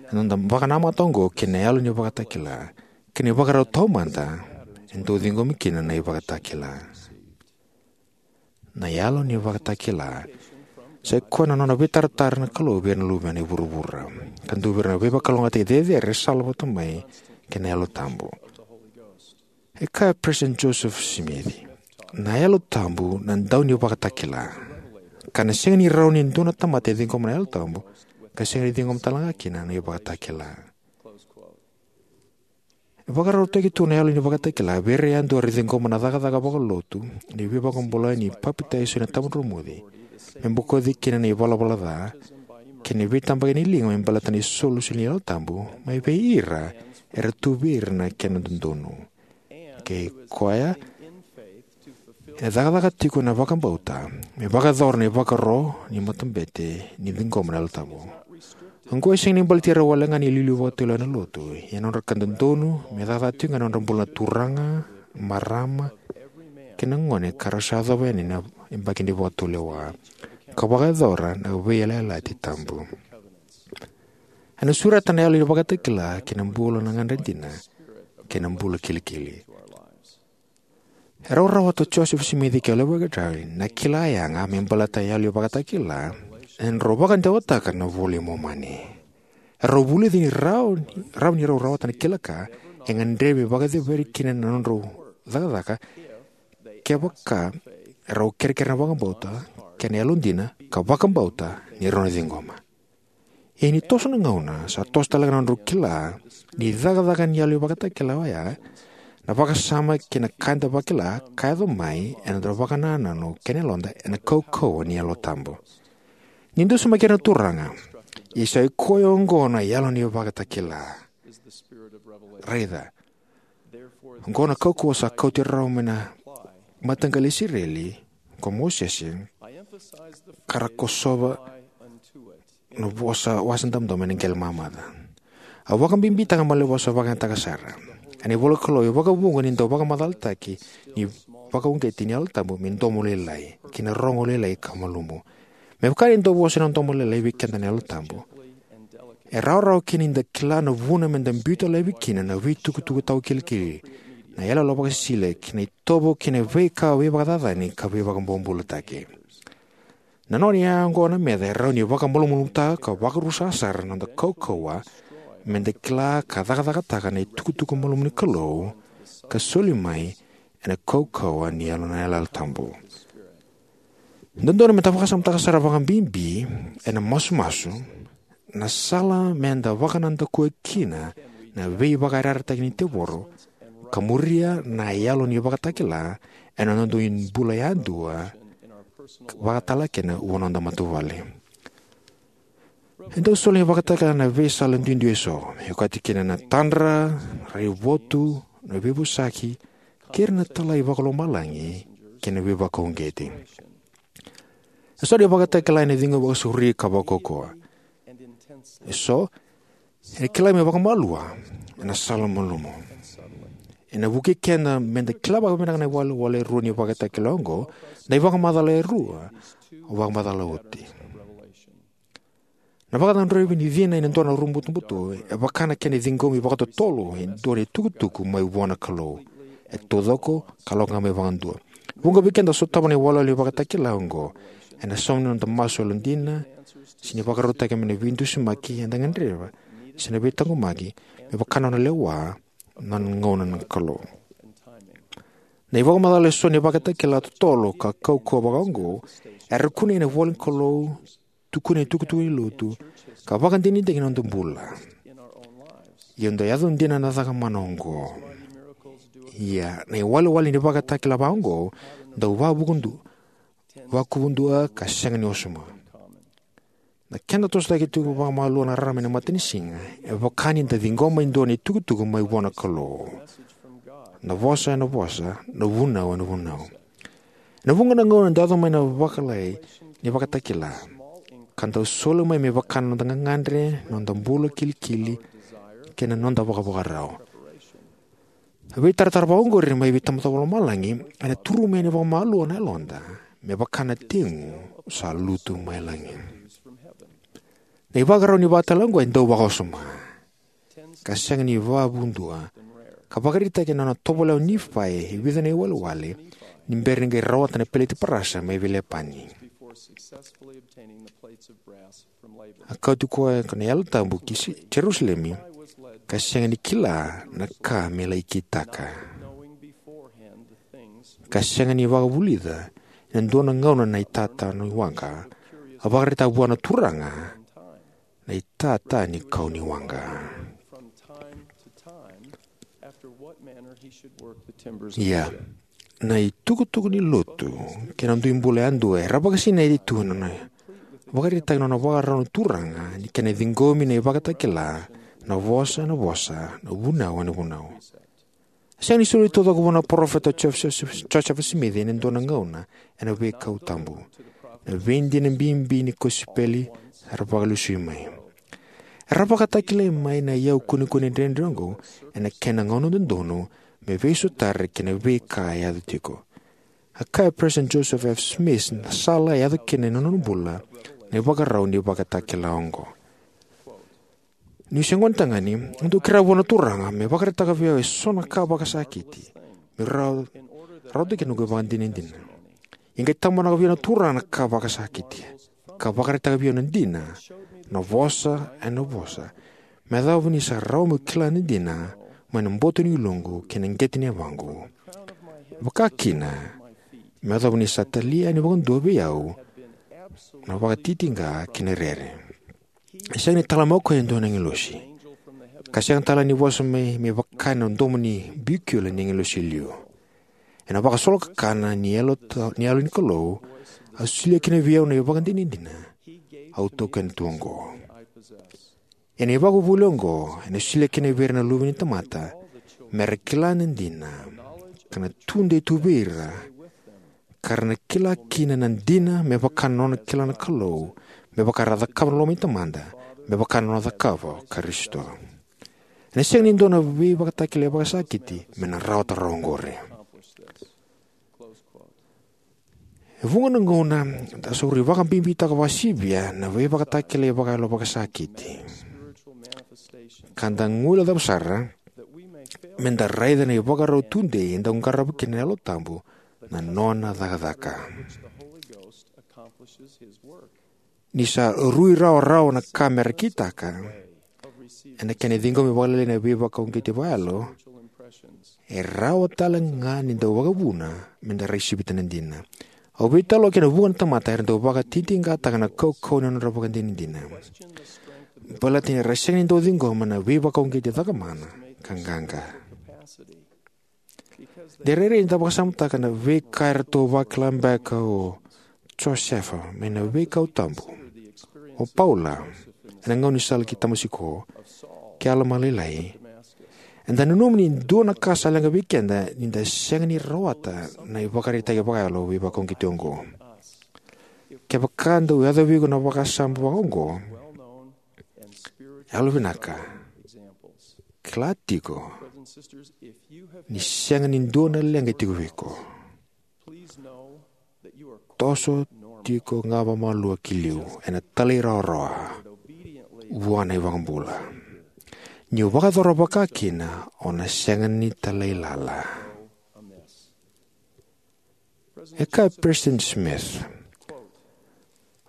ena noda vakanamata oqo kei na yalo ni ivakatakila kei na ivakarau taumada e dau ciqomi kina na ivakatakila. Na yalo ni ivakatakila sai koya na nona veitaratara na Kalou vei ira na luvena e vuravura, ka dua vei ira na veivakalougatataki cecere e sala vata mai kei na Yalo Tabu. E kaya o President Joseph Smith, na Yalo Tabu na dau ni ivakatakila, ka na sega ni rawa ni dua na tamata e ciqoma na Yalo Tabu ka sega ni ciqoma tale ga kina na ivakatakila. E vakarautaki tu na yalo ni ivakatakila vei ira yadua era ciqoma na cakacaka vakalotu ni veivakabulai ni papitaiso ena tabadromuci, me bokoci kina na ivalavala ca kei na veitabaki ni liga me baleta na isolisoli ni Yalo Tabu mai vei ira era tu vei ira na kena dodonu. Kei koya e cakacaka tiko ena vakabauta me vakayacora na ivakaro ni matabete ni ciqoma na Yalo Tabu. Oqo e sega ni baleti ira wale ga na iliuliu vakatulewa ena lotu, ia na nodra ka dodonu me cakacaka tiko ga ena nodra bula na turaga, marama kei na gone ka ra sa yacova yani na yabaki ni vakatulewa, ka vakayacora na veiyalayalati tabu. Ena sureta na yalo ni ivakatakila ki na bula na gagadre dina kei na bula kilikili. E rau rawata o Joseph Smith kei Oliver Cowdery na kila yaga me baleta na yalo ni ivakatakila ena nodrau vakadewataka na iVola i Momani. E rau vulica ni rawa ni, rawa ni rau rawata na kila ka e gadrevi me vakaceveri kina na nodrau cakacaka kevaka e rau kerekere na vakabauta kei na yalodina ka vakabauta ni rau na ciqoma. Ia ni toso na gauna, sa toso tale ga na nodrau kila ni cakacaka ni yalo ni ivakatakila oya Na vakasama kei na ka eda vakila ka yaco mai ena noda vakanananu kei na yaloda ena kaukauwa ni Yalo Tabu. Ni dusimaki ira na Turaga, ia sa i koya oqo na yalo ni vakatakila. Raica, oqo na kaukauwa sa kauti rau mai na mataqali Isireli ko Mosese, ka ra kosova na vosa wasa damudamu ena qele mamaca. Au vakabibitaka mo laki vosa vakayagataka sara. Ena ivola Kalou e vakavuqa ni dau vakamacalataki ni vakauqeti ni Yalo Tabu me domo lailai kei na rogo lailai ka malumu. Me vaka ni dau vosa na domo lailai vei keda na Yalo Tabu, e rawarawa kina ni da kila na vuna me da biuta laivi kina na veitukutuku tawakilikili, na iyaloyalo vakasisila kei na itovo kei na veika veivakacacani ka veivakabobulataki. Na nona iyaya oqo na meca e rawa ni vakamalumalumutaka ka vakarusa sara na noda kaukauwa me da kila ka cakacakataka na itukutuku malumu ni Kalou ka soli mai ena kaukauwa ni Yalo, na Yalo Tabu. Dodonu me da vakasamataka sara vakabibi ena masumasu na sala me da vakanadakuya kina na veivakayarayarataki ni tevoro ka muria na yalo ni vakatakila ena noda dui bula yadua, vakatale kina vua noda matavuvale. E dau soli na ivakatakila ena veisala duidui eso, e okati kina na tadra, raivotu, na veivosaki, kei ira na italai vakalomalagi kei na veivakauqeti. Eso na ivakatakila ena ciqomi vakasauri ka vakaukauwa. Eso ena kilai mai vakamalua ena sala malumu. Ena vukei keda me da kila vakavinaka na iwalewale e rua ni vakatakila oqo, na ivakamacala e rua au vakamacala oti. Na vakacudruvi ni cina ena dua na rua butobuto e vaka na kena ciqomi vakatotolo e dua na itukutuku mai vua na Kalou e taucoko ka lako ga mai vakadua. Vuqa vei keda sotava na iwalewale ni vakatakila oqo ena sauma ni noda masu yalodina, se ni vakarautaki mai na veidusimaki eda gadreva, se na veitaqomaki me vaka na nona lewa na nona gauna na Kalou. Na ivakamacala eso ni vakatakila totolo ka kaukauwa vakaoqo era kunei ena ivola ni Kalou, tukuni ena itukutuku ni lotu, ka vakadinadinataki ena noda bula. Ia, eda yaco dina na cakamana oqo. Ia, na iwalewale ni vakatakila vakaoqo dau vakuvudua, vakuvudua ka sega ni osoma. Na kena tosotaki tiko vakamalua na rarama ena matanisiga e vaka ni da ciqoma e dua na itukutuku mai vua na Kalou. Na vosa ena vosa, na vunau ena vunau. Ena vuqa na gauna dau yaco mai na vakalailai ni vakatakila, ka dau soli mai me vaka na noda gagadre, noda bula kilikili, kei na noda vakavakarau. Na veitaratara vakaoqori mai vei Tamada Vakalomalagi ena turu mai yani vakamalua na yaloda me vaka na tegu sa lutu mai lagi. Na ivakarau ni vakatakila oqo e dau vakaosoma ka sega ni vakuvudua, ka vakaraitaki ena nona tovolea o Nifai e vica na iwalewale ni bera ni qai rawata na peleti parasa mai vei Lepani. A kauti koya ko na Yalo Tabu ki Si-, Jerusalemi, ka sega ni kila na ka me lai kitaka. Ka sega ni vakavulica ena dua na gauna na itata ni waqa, a vakaraitaka vua na Turaga na itata ni kau ni waqa. Ia, na itukutuku ni lotu kei na dui bula yadua era vakasinaiti tu ena nona vakaraitaka na nona vakarau na Turaga ni kena ciqomi na ivakatakila, na vosa ena vosa, na vunau ena vunau. Sega ni soli taucoko vua na parofita o Joseph, Joseph Smith ena dua na gauna ena veikau tabu. Na veidina bibi ni kosipeli era vakalesui mai. Era vakatakilai mai na iyau kunekune dredre oqo ena kena gauna dodonu me veisotari kei na veika e yaco tiko. A kaya o President Joseph F. Smith, na sala e yaco kina ena nona bula na ivakarau ni vakatakila oqo. Niu se gonetagane, au dau kerea vua na Turaga me vakaraitaka vei au eso na ka vakasakiti meu rawa, rawata kina noqu ivakadinadina. E qai tabonaka vei au na Turaga na ka vakasakiti ka vakaraitaka vei au na dina, na vosa ena vosa, me yacova ni sa rawa meu kila na dina mai na boto ni yaloqu kei na qete ni yavaqu. Vakakina, me yacova ni sa talia yani vakadua vei au na vakatitiqa kei na rere. E sega ni tala mai o koya e dua na agilosi. ka sega tale ni vosa mai me vaka na domo ni biukiula ni agilosi e liu. Ena vakasolokakana ni yalo, ni yalo ni Kalou, a solia kina vei au na ivakadinadina au taukena tu oqo. Ena ivakavuvuli oqo ena solia kina vei ira na luve ni tamata me ra kila na dina, ka na tudei tu vei ira, ka ra na kila kina na dina me vaka na nona kila na Kalou, me vaka era cakava na loma i Tamada, me vaka na nona cakava o Karisito. Ena sega ni dua na veivakatakilai vakasakiti me na rawata rawa oqori. E vuqa na gauna da sauri vakabibitaka vakasivia na veivakatakilai vakayalo vakasakiti, ka da guilecava sara me da raica na ivakarau tudei e dau qarava kina na Yalo Tabu na nona cakacaka. Ni sa rui rawarawa na ka me ra kitaka ena kena ciqomi vakalailai na veivakauqeti vakayalo, e rawa tale ga ni dau vakavuna me da rai sivita na dina. Au veitalanoa kei na vuqa na tamata era dau vakatitiqataka na kaukauwa ni nodra ivakadinadina, baleta ni ra sega ni dau ciqoma na veivakauqeti cakamana ka qaqa. De rairai ni da vakasamataka na veika eratou vakila beka o Josefa mai na Veikau Tabu, o Paula ena gauna ni sala ki Tamasiko, kei Alama Lailai, eda nanuma ni dua na ka sa leqa vei keda ni da sega ni rawata na ivakaraitaki vakayalo veivakauqeti oqo. Kevaka dau yaco vei iko na vakasama vaka oqo, yalovinaka, kila tiko ni sega ni dua na leqa e tiko vei iko. Toso tiko ga vakamalua ki liu ena talairawarawa vua na iVakabula. Niu vakayacora vakakina, o na sega ni talailala. E kaya o Peresitedi Smith: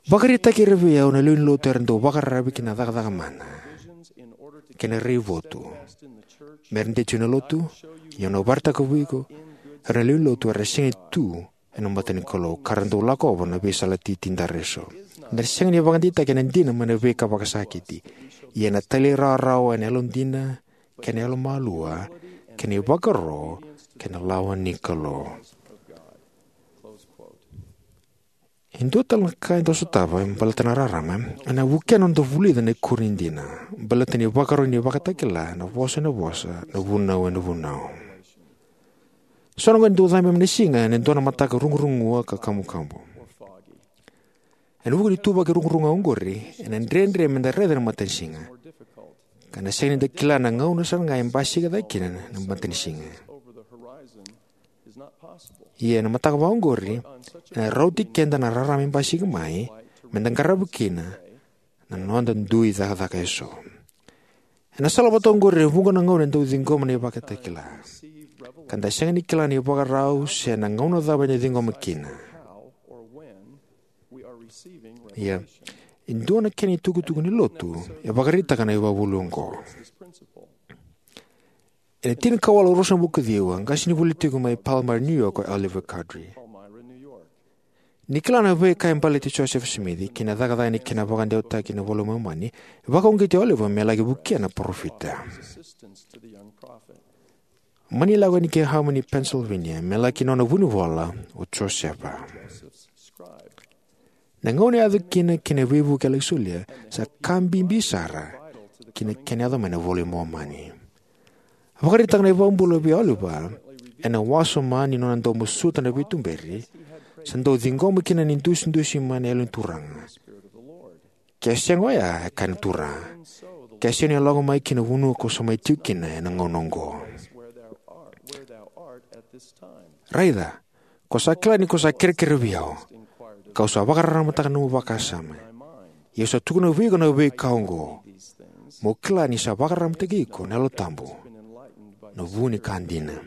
"Vakaraitaki ira vei au na lewe ni lotu era dau vakararavi ki na cakacaka mana kei na raivotu me ra de tu ena lotu, ia au na vakaraitaka vei iko era na lewe ni lotu era sega ni tu ena mata ni Kalou, ka ra dau lakova na veisala titi dara eso." Eda sega ni vakadeitaki ena dina mai na veika vakasakiti, ia ena talairawarawa, ena yalodina kei na yalomalua, kei na ivakaro kei na lawa ni Kalou. E dua tale na ka e dau sotava me baleta na rarama, ena vukea na noda vulica na ikuri ni dina, baleta na ivakaro ni ivakatakila, na vosa ena vosa, na vunau ena vunau. So na gauna e dau cabe mai na siga ena dua na mataka rugurugua ka kamukamu. Ena vuku ni ituvaki rugurugua oqori, ena dredre me da raica na matanisiga, ka na sega ni da kila na gauna sara ga e basika cake kina na matanisiga. Ia ena mataka vaka oqori, ena rauti keda na rarama e basika mai, me da qarava kina na noda dui cakacaka eso. Ena sala vata oqori, e vuqa na gauna e dau ciqoma na ivakatakila, ka da sega ni kila na ivakarau se na gauna cava ena ciqoma kina. Ia, e dua na kena itukutuku ni lotu e vakaraitaka na ivakavuvuli oqo. Ena tinikawalu ruasagavulu ka ciwa, a qasenivuli tiko mai Palmyra, New York, o Oliver Cowdery. Ni kila na veika e baleti Joseph Smith kei na cakacaka ni kena vakadewataki na iVola i Momani, e vakauqeti Oliver me laki vukea na parofita. Mani lako yani ki Harmony, Pennsylvania, me laki nona vunivola o Josefa. Na gauna e yaco kina kei na veivuke e laki solia sa ka bibi sara ki na kena yaco mai na iVola i Momani. Vakaraitaka na iVakabula vei Oliver ena wasoma ni nona dau masuta na veituberi, sa dau ciqoma kina na idusidusi mai na Yalo ni Turaga. Ke sega oya, e kaya na Turaga, ke sega ni o lako mai ki na vanua ko sa mai tiko kina ena gauna oqo. Raica, ko sa kila ni ko sa kerekere vei au, kau sa vakararamataka na nomu vakasama. Ia au sa tukuna vei iko na veika oqo, mo kila ni sa vakararamataki iko na Yalo Tabu, na vu ni ka dina.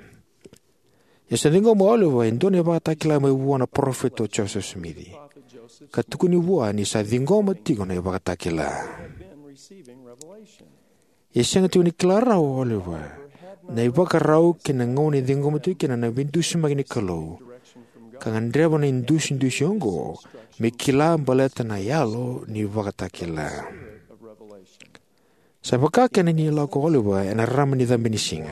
Ia sa ciqoma o Oliver e dua na ivakatakila mai vua na parofita o Joseph Smith, ka tukuni vua ni sa ciqoma tiko na ivakatakila. Ia sega tiko ni kila rawa o Oliver na ivakarau kei na gauna e ciqoma tiko kina na veidusimaki ni Kalou, ka gadreva na idusidusi oqo me kila baleta na yalo ni ivakatakila. Sa vakakina ni lako o Oliver ena rarama ni cabe ni siga,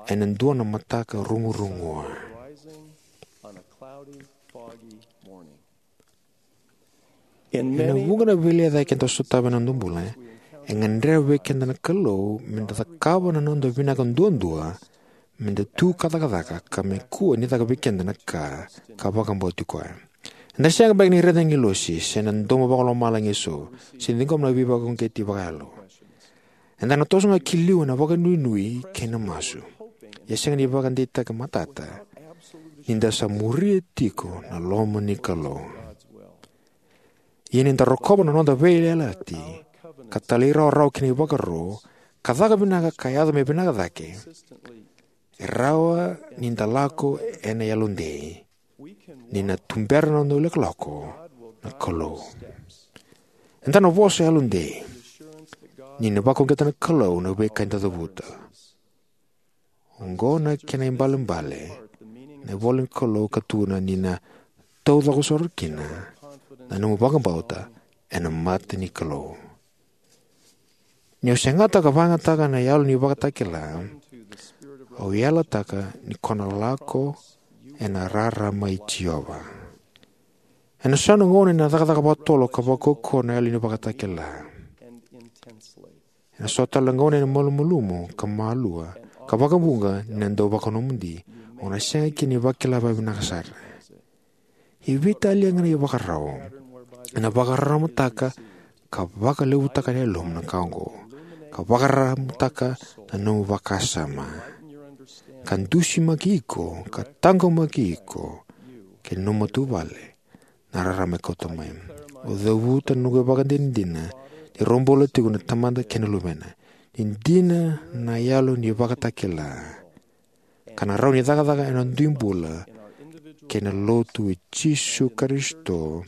ena dua na mataka rugurugua. Ena vuqa na veilecayaki eda sotava ena noda bula, e gadreva vei keda na Kalou meda cakava na noda vinaka duadua, meda tu ka cakacaka, ka me kua ni caka vei keda na ka ka vakabauti koya. Eda sega beka ni raica na agilosi se na domo vakalomalagi eso, se ciqoma na veivakauqeti vakayalo. Eda na toso ga ki liu ena vakanuinui kei na masu. Ia sega ni vakadeitaki matata ni da sa muria tiko na loma ni Kalou. Ia ni da rokova na noda veiyalayalati, ka talairawarawa ki na ivakaro, ka caka vinaka ka yaco me vinaka cake, e rawa ni da lako ena yalodei, ni na tubera na noda ilakolako na Kalou. Eda na vosa yalodei ni na vakauqeta na Kalou na veika eda cavuta. Oqo na kena ibalebale na ivola ni Kalou ka tukuna ni na taucoko sara kina na nomu vakabauta ena mata ni Kalou. Niu segata ka vakayagataka na yalo ni vakatakila, au yalataka ni ko na lako ena rarama i Jiova. Ena so na gauna ena cakacaka vakatotolo ka vakaukauwa na yalo ni vakatakila. Ena so tale na gauna ena malumalumu ka malua, ka vakavuqa ni na dau vakanomodi, o na sega kina ni vakila vakavinaka sara. E veitalia ga na ivakarau ena vakararamataka ka vakalevutaka na yalomu na ka oqo, ka vakararamataka na nomu vakasama, ka dusimaki iko, ka taqomaki iko kei na nomu matavuvale na rarama e kauta mai. Au cavuta na noqu ivakadinadina ni rau bula tiko na Tamada kei na Luvena, ni dina na yalo ni vakatakila, ka na rawa ni cakacaka ena dui bula kei na lotu i Jisu Karisito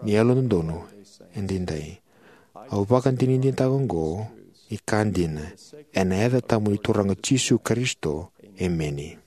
ni Yalododonu Edaidai. Au vakadinadinataka oqo ni ka dina ena yaca tabu ni Turaga Jisu Karisito. Emeni.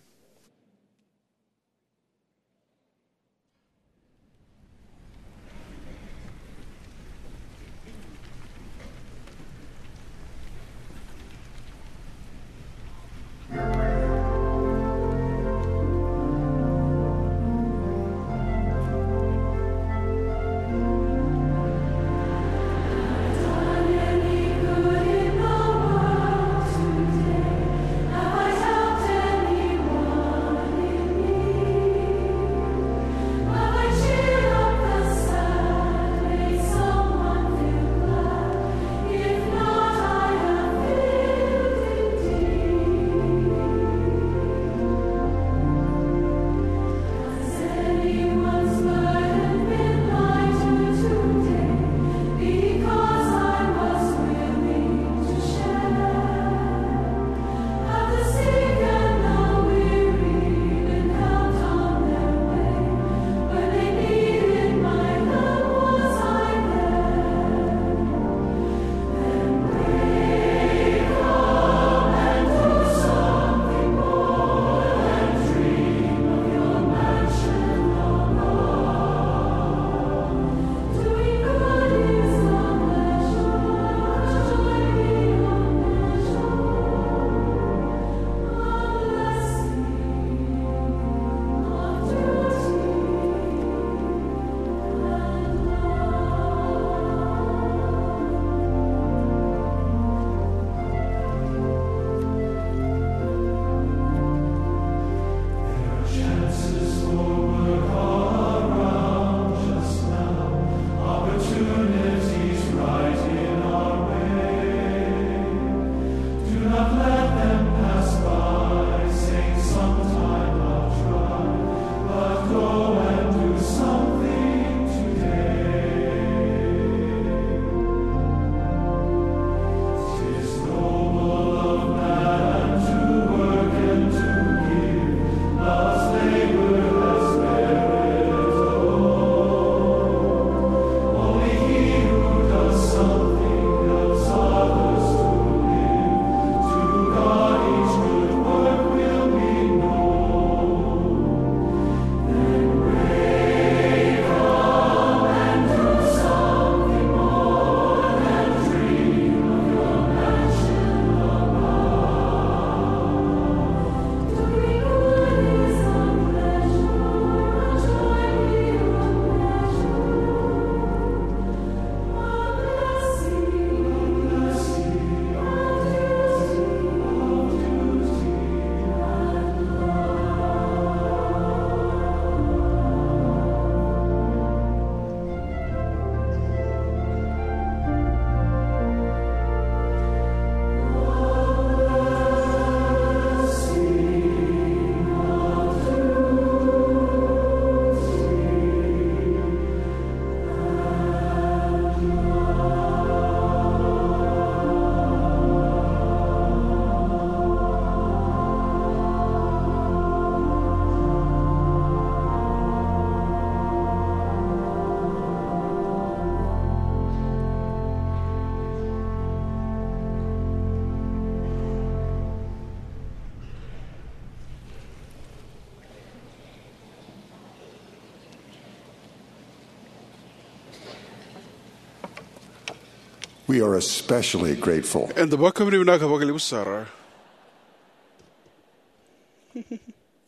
We are especially grateful. Eda vakavinavinaka vakalevu sara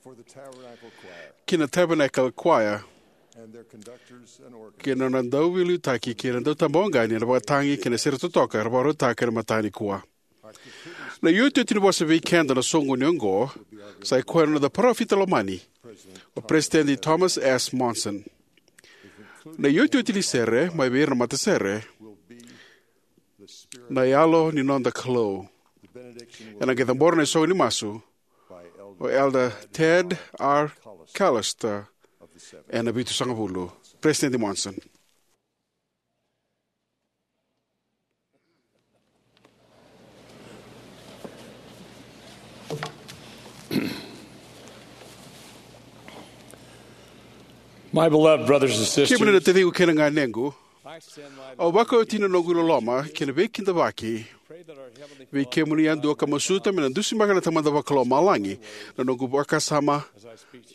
for the Tabernacle Choir ki na Tabernacle Choir and their conductors and organist. Kei na nona dauveiliutaki kei na dautabawaqani ena vakatagi kei na sere totoka era vakarautaka ena mataka nikua. Na iotioti ni vosa vei keda na soqoni oqo sa i koya na noda parofita lomani, o President Thomas S. Monson. Na iotioti ni sere mai vei ira na matasere, na Yalo ni Noda Kalou. Ena qai cabora na isogo ni masu o Elder Ted R. Callister ena vitusagavulu. President Monson. My beloved brothers and sisters, kemuni na taciqu kei na ganequ, au vakaoti na noqu iloloma kei na veikidavaki vei kemuni yadua ka masuta me na dusimaka na Tamada Vakalomalagi na noqu vakasama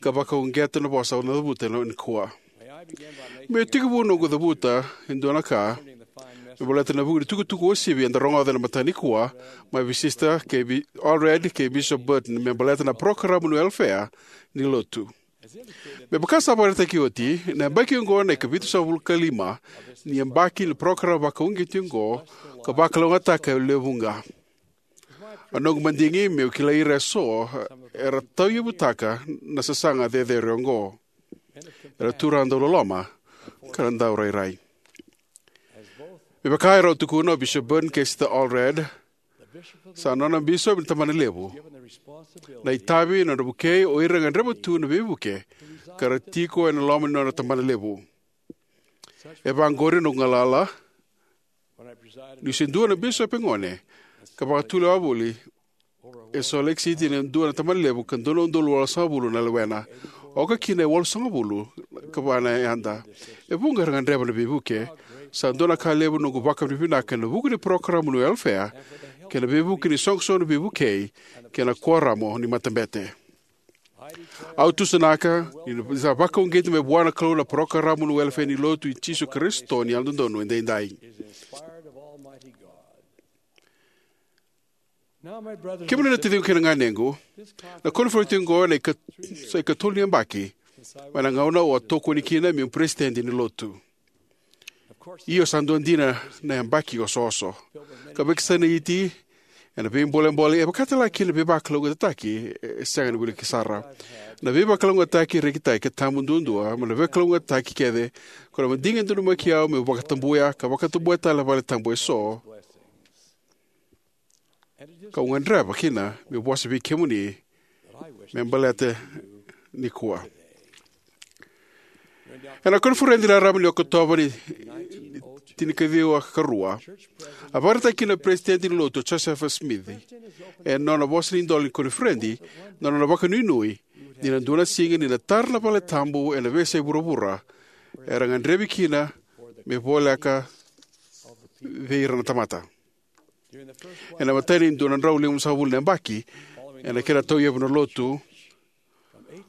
ka vakauqeta na vosa au na cavuta nikua. Meu tekivu noqu cavuta e dua na ka me baleta na vuku ni tukutuku uasivi eda rogoca ena mataka nikua mai vei Sister kei Allred kei Bishop Burton me baleta na parokaramu ni welefea ni Lotu. Me vaka sa vakaraitaki oti, na yabaki oqo na ikavitusagavulu ka lima ni yabaki ni parokaramu vakauqeti oqo ka vakalougatataka e lewe vuqa. A noqu madigi meu kilai ira eso era tauyavutaka na sasaga cecere oqo. Era turaga dauloloma ka na daurairai. Me vaka e rau tukuna o Bishop Burton kei Sister Allred, sa nona bisopi na tabanalevu na itavi na nodra vukei o ira gadreva tu na veivuke ka ra tiko ena loma ni nona tabanalevu. E vaqori noqu galala niu se dua na bisopi gone ka vakatulewa voli e Salt Lake City ena dua na tabanalevu ka dua na udolu walusagavulu na lewena, oka kina e walusagavulu ka va na yada. E vuqa era gadreva na veivuke. Sa dua na ka levu noqu vakavinavinaka ena vuku ni parokaramu ni welefea kei na veivuke ni soqosoqo ni veivukei kei na kuoramu ni matabete. Au tusanaka ni sa vakauqeti mai vua na Kalou na parokaramu ni welefea ni Lotu i Jisu Karisito ni Yalododonu Edaidai. Kemuni na taciqu kei na ganequ, na koniferedi oqo ena ika, sa ikatolu ni yabaki mai na gauna au a tokoni kina meu peresitedi ni Lotu. Io, sa dua dina na yabaki osooso ka veikasanaiti ena veibolebole e vakatale kina na veivakalougatataki e sega ni wiliki sara. Na veivakalougatataki rekitaki e tabu duadua mai na veivakalougatataki kece ko na madigi e donumaki au meu vakatabuya ka vakatabuya tale na valetabu eso. Kau gadreva kina meu vosa vei kemuni me baleta nikua. Ena koniferedi raraba ni Okotova ni tinikaciwa ka rua, a vakaraitaka kina na Peresitedi ni Lotu o Josefa Simici ena nona vosa ni idola ni koniferedi na nona vakanuinui ni na dua na siga ni na tara na valetabu ena veiyasai vuravura era gadrevi kina me voleka vei ira na tamata. Ena imatai ni dua na drau limasagavulu na yabaki ena kena tauyavu na Lotu,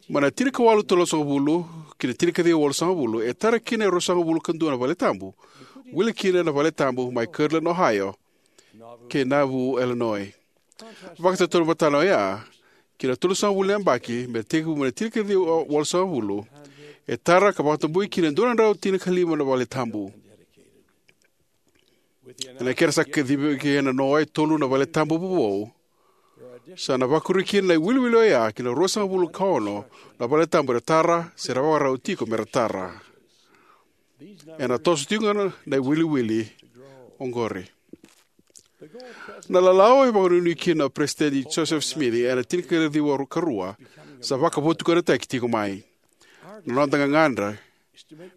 mai na tinikawalu tolusagavulu ki na tinikaciwa walusagavulu, e tara kina e ruasagavulu ka dua na valetabu, wili kina na valetabu mai Kirtland, Ohio, kei Nauvoo, Illinois. Vakatotolo vata na oya, ki na tolusagavulu na yabaki me tekivu mai na tinikaciwa walusagavulu, e tara ka vakatabui kina e dua na drau tinikalima na valetabu. Ena kena sa kacivi ena noa e tolu na valetabu vovou, sa na vakuri kina na iwiliwili oya ki na ruasagavulu ka ono na valetabu era tara se ra vakarau tiko mera tara. Ena toso tiko ga na iwiliwili oqori. Na lalawa e vakanuinui kina o Peresitedi Josefa Simici ena tinikaciwa ka rua sa vakavotukanataki tiko mai. Na noda gagadre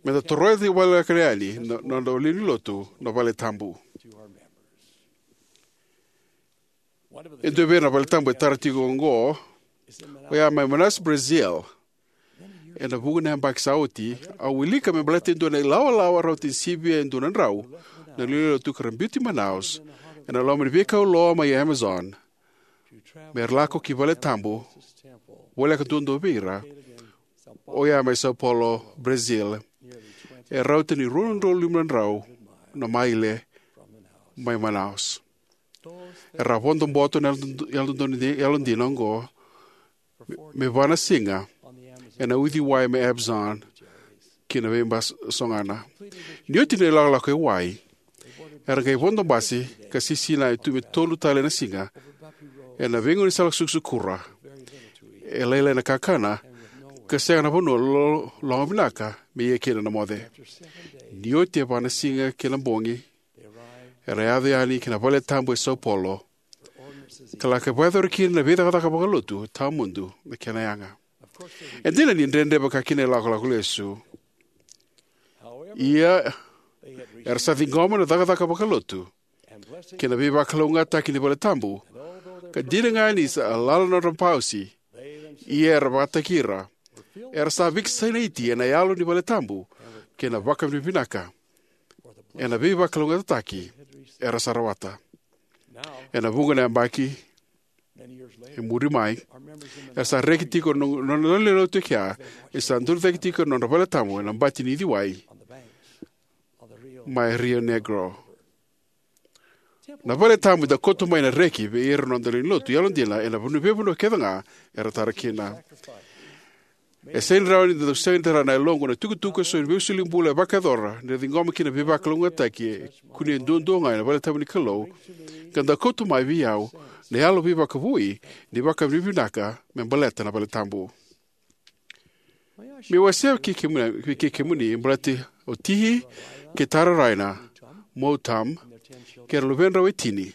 meda toroya tiko voleka yani na noda lewe ni Lotu na valetabu. E dua vei ira na valetabu e tara tiko oqo oya mai Manaus, Brazil. Ena vuqa na yabaki sa oti au wilika me baleta e dua na ilawalawa rauta ni sivia e dua na drau na lewe ni Lotu ka ra biuti Manaus ena loma ni veikau loa mai Amazon, mera lako ki valetabu voleka duadua vei ira oya mai Sao Paulo, Brazil, e rauta ni rua na udolu lima na drau na maile mai Manaus. Era vodo boto na yalododonu, yalodina oqo me va na siga ena uciwai mai Amazon ki na veibasogana. Ni oti na ilakolako e wai, era qai vodo basi ka sisinai tu me tolu tale na siga ena veigauna sala sukusukura, e lailai na kakana ka sega na vanua lo- loga vinaka me ia kina na moce. Ni oti e va na siga kei na bogi, era yaco yani ki na vale tabu e Sao Paulo ka laki vakayacori kina na veicakacaka vakalotu tawamudu na kena yaga. E dina ni dredre vakakina na ilakolako lesu, ia era sa ciqoma na cakacaka vakalotu kei na veivakalougatataki ni vale tabu, ka dina ga ni sa lala na nodra pausi, ia era vakataki ira. Era sa vakasinaiti ena yalo ni vale tabu kei na vakavinavinaka ena veivakalougatataki era sa rawata. Ena vuqa na yabaki e muri mai, era sa reki tiko na nona lewenilotu e kea, e sa duri cake tiko na nodra vale tabu ena bati ni uciwai mai Rio Negro. Na vale tabu e dau kauta mai na reki vei ira na noda lewenilotu yalodina ena vanua, veivanua kece ga era tara kina. E sega ni rawa ni da dau sega ni tara na yaloqu na itukutuku eso ni veisolibula e vakayacora ni ra ciqoma kina na veivakalougatataki e kunei duadua ga ena vale tabu ni Kalou, ka dau kauta mai vei au na yalo veivakavoui ni vakavinavinaka me baleta na vale tabu. Meu wasea vei kemuni, vei kemuni baleta o Tihi kei Tara Raina Mou Tham kei ira na luvedrau e tini.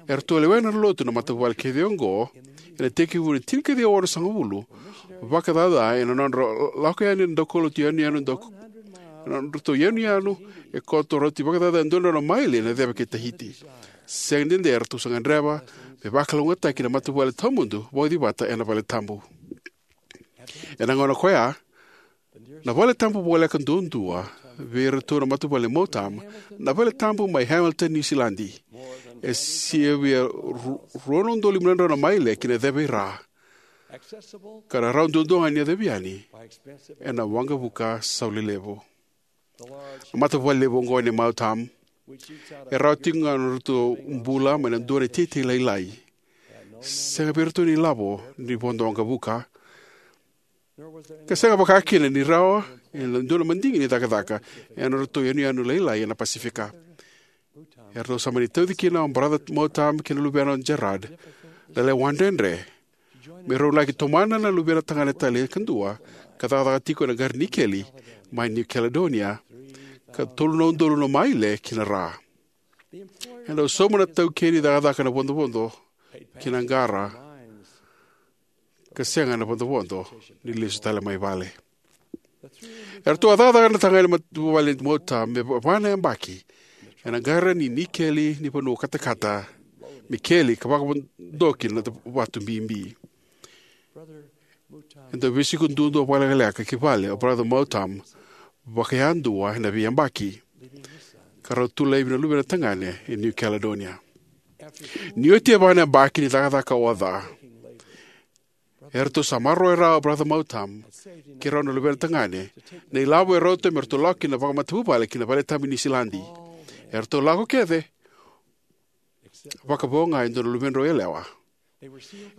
Eratou a lewena na lotu na matavuvale kece oqo ena itekivu ni tini ka ciwa onosagavulu vakacaca ena nodra lako yani na daukaulotu yanuyanu dau, ena nodratou yanuyanu e koto, rauti vakacaca e dua na drau na maile na ceva kei Tahiti. Sega ni dede eratou sa gadreva me vakalougatataki na matavuvale tawamudu vauci vata ena vale tabu. Ena gauna ko ya, na vale tabu voleka duadua vei iratou na matavuvale Mou Tham, na vale tabu mai Hamilton, Niu Siladi. E sivia ru- rua na udolu lima na drau na maile ki na ceva i ra, ka na rawa duadua ga ni yacovi yani ena waqavuka sauli levu. Na matavuvale levu oqo nei Mou Tham e rawa tiko ga na nodratou bula mai na dua na iteitei lailai, sega vei iratou na ilavo ni vodo waqavuka, ka sega vakakina ni rawa e dua na madigi ni cakacaka ena nodratou yanuyanu lailai ena Pasifika. Eratou sa mani tauci kina o Brother Mou Tham kei na luvena o Gerard na lewa dredre me rau laki tomana na luvena tagane tale kadua ka cakacaka tiko ena qara ni nikeli mai New Caledonia, ka tolu na udolu na maile ki na ra. E dau sauma na taukei ni cakacaka na vodovodo ki na qara, ka sega na vodovodo ni lesu tale mai vale. Eratou a cakacaka na tagane matavuvale Mou Tham me va- va na yabaki ena qara ni nikeli ni vanua katakata, me keli ka vakavodoki na vatu bibi. E dau veisiko duadua vakalekaleka ki vale o Brother Mou Tham vakayadua ena veiyabaki, ka rau tu laivi na luvena tagane e New Caledonia. Ni oti e va na yabaki ni cakacaka oca, eratou sa maroroya rawa o Brother Mou Tham kei rau na luvena tagane na ilavo e rauta me ratou lako kina vakamatavuvale ki na vale tabu i Niu Siladi. Eratou lako kece, vakavo ga e dua na luvedrau yalewa.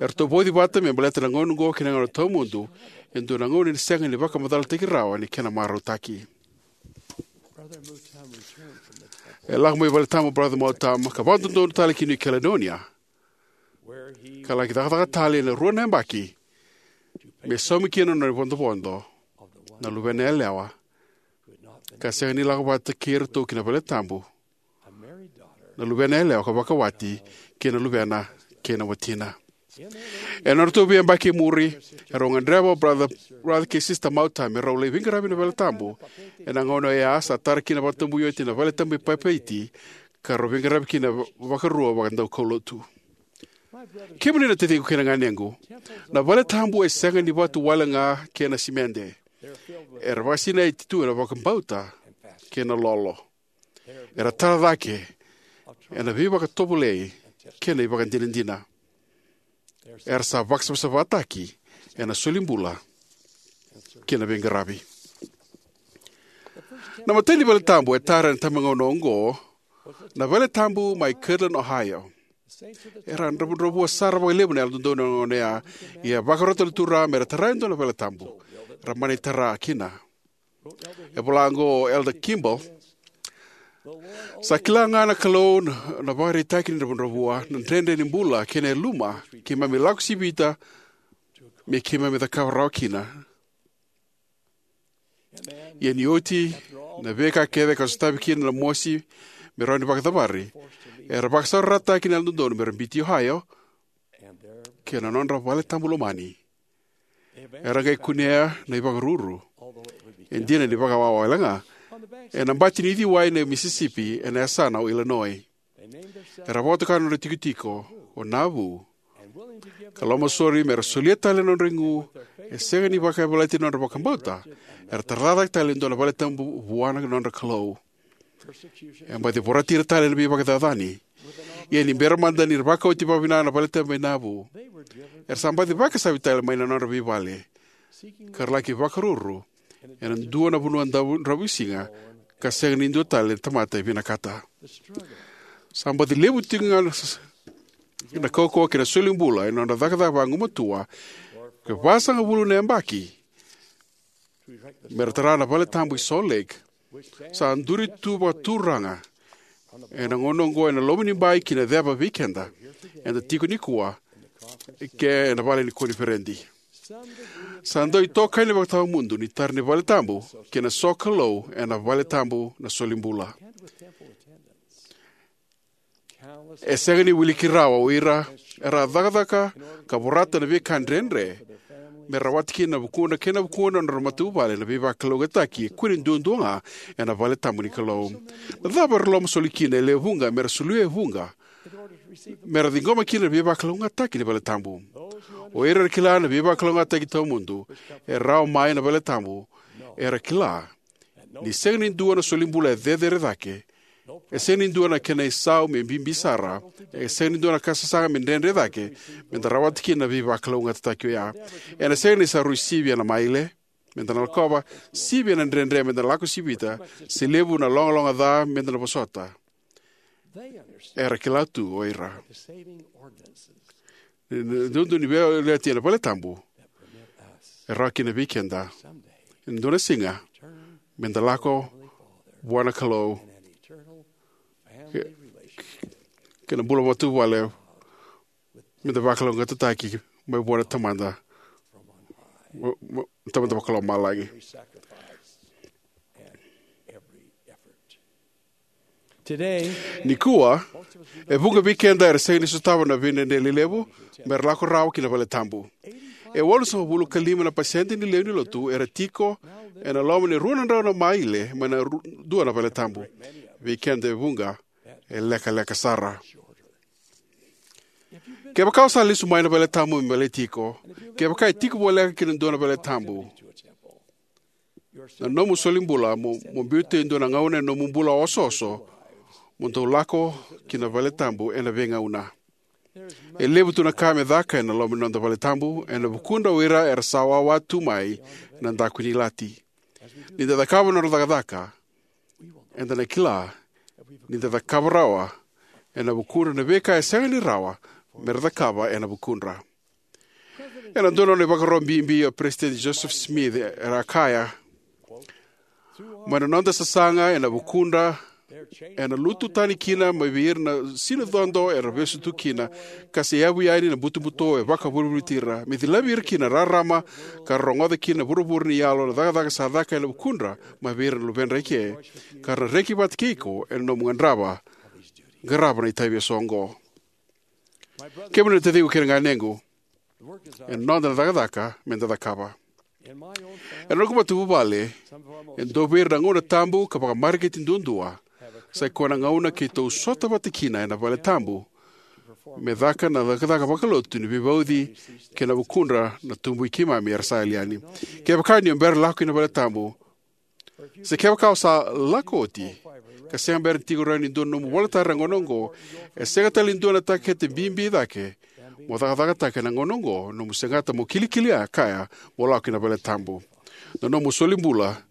Eratou vauci vata me baleta na gauna oqo kei na gauna tawamudu, e dua na gauna ni sega ni vakamacalataki rawa ni kena marautaki. E lako mai vale tabu o Brother Mou Tham ka vakadodonu tale ki New Caledonia, ka laki cakacaka tale ena rua na yabaki me saumi kina na nona ivodovodo na luvena yalewa ka sega ni lako vata kei iratou ki na vale tabu, na luvena yalewa ka vakawati kei na luvena kei na watina. Ena nodratou veiyabaki e muri, erau gadreva o Brother, Brother kei Sister Mou Tham me rau lai veiqaravi ena vale tabu. Ena gauna oya sa tara kina vakatabui oti na vale tabu i Papeete, ka rau veiqaravi kina va- vakarua vakadaukaulotu. Kemuni na taciqu kei na ganequ, na vale tabu e sega ni vatu wale ga kei na simede. Era vakasinaiti tu ena vakabauta kei na lolo. Era tara cake ena veivakatovolei kei na ivakadinadina. Era sa vakasavasavataki ena solibula kei na veiqaravi. Na imatai ni vale tabu e tara ena tabagauna oqo Na valetabu mai Kirtland, Ohio. Era dravudravua sara vakalevu na Yalododonu ena gauna oya, ia e vakarota na Turaga me ra tara e dua na valetabu. Era mani tara kina. E vola oqo o Elder Kimball: Sa kila ga na Kalou na, na ivakaraitaki ni dravudravua, na dredre ni bula kei na yaluma keimami lako sivita me keimami cakava rawa kina. Ia ni oti na veika kece ka sotavi kina na mosi me rawa ni vakacavari, era vakasaurarataki na Yalododonu me ra biuti Ohio kei na nodra valetabu lomani. Era qai kunea na ivakaruru, e dina ni vakawawa wale ga, ena bati ni uciwai na Mississippi ena yasana o Illinois. Era vakatoka na nodra itikotiko o Nauvoo, ka lomasoli me ra solia tale na nodra igu. E sega ni vakayavalati na nodra vakabauta, era tara cake tale e dua na valetabu vua na nodra Kalou. E baci vorati ira tale na veivakacacani. Ia ni bera mada ni ra vakaoti vakavinaka na valetabu mai Nauvoo, era sa baci vakasavi tale mai na nodra veivale, ka ra laki vakaruru ena dua na vanua dra-, dravuisiga, ka sega ni dua tale na tamata e vinakata. Sa baci levu tiko ga na s-, na kaukauwa kei na solibula ena nodra cakacaka vagumatua, ka vasagavulu na yabaki me ra tara na valetabu i Salt Lake, sa duri tu vakaturaga ena gauna oqo ena loma ni bai ki na ceva vei keda eda tiko nikua, ke ena vale ni koniferedi. Sa dau itokani vakatawamudu ni tara ni valetabu kei na sokalou ena valetabu na solibula. E sega ni wiliki rawa o ira era cakacaka ka vorata na veika dredre me rawata kina na vukudra kei na vukudra na nodra matavuvale na veivakalougatataki e kune duadua ga ena valetabu ni Kalou. Na cava era lomasoli kina e lewe vuqa me ra soli e vuqa me ra ciqoma kina na veivakalougatataki ni valetabu? O ira era kila na veivakalougatataki tawamudu e rawa mai na valetabu era kila ni sega ni dua na solibula e cecere cake, e sega ni dua na kena isau me bibi sara, e sega ni dua na ka sasaga me dredre cake me da rawata kina na veivakalougatataki oya. Ena sega ni sa rui sivia na maile me da na lakova, sivia na dredre me da na lako sivita, se levu na logaloga ca me da na vosota. Era kila tu o ira ni, ni dodonu ni veiyalayalati ena valetabu e rawa kina vei keda ena dua na siga me da lako vua na Kalou, ke, kei na bula matavuvale me da vakalougatataki mai vua na Tamada, mo, mo, Tamada vakalomalagi. Nikua, e vuqa vei keda era sega ni sotava na veidredre lelevu me ra lako rawa ki na valetabu. E walusagavulu ka lima na pasede ni lewe ni lotu era tiko ena loma ni rua na drau na maile mai na ru-, dua na valetabu. Vei keda e vuqa, e lekaleka sara. Kevaka o sa lesu mai na valetabu me baleti iko, kevaka e tiko voleka ki na dua na valetabu, na nomu solibula mo, mo biuta e dua na gauna ena nomu bula osooso mo dau lako ki na valetabu ena veigauna. E levu tu na ka me caka ena loma ni noda valetabu ena vukudra o ira era sa wawa tu mai na daku ni ilati. Ni da cakava na nodra cakacaka, eda na kila ni da cakava rawa ena vukudra na veika e sega ni rawa me ra cakava ena vukudra. Ena dua na nona ivakaro bibi o Peresitedi Joseph Smith, era kaya: Mai na noda sasaga ena vukudra, ena lutu tani kina mai vei ira na sina codo era vesu tu kina, ka se yavu yani na butobuto e vakavolivoliti ira, me cilavi ira kina na rarama, ka ra rogoca kina na vuravura ni yalo na cakacaka sa caka ena vukudra mai vei ira na luvedra eke, ka ra na reki vata kei iko ena nomu qarava, qarava na itavi eso oqo. Kemuni na taciqu kei na ganequ, e noda na cakacaka me da cakava. Ena noqu matavuvale, e dua vei ira na gauna tabu ka vakamareqeti duadua sa ikoya na gauna keitou sota vata kina ena valetabu me caka na cakacaka vakalotu ni veivauci kei na vukudra na tubui keimami era sa yali yani. Kevaka ni o bera lako ki na valetabu, se kevaka o sa lako oti ka sega bera ni tiko rawa ni dua na nomu ivolatara ena gauna oqo, e sega tale ni dua na takete bibi cake mo cakacakataka ena gauna oqo na nomu segata mo kilikili kaya mo lako ki na valetabu. Na nomu solibula,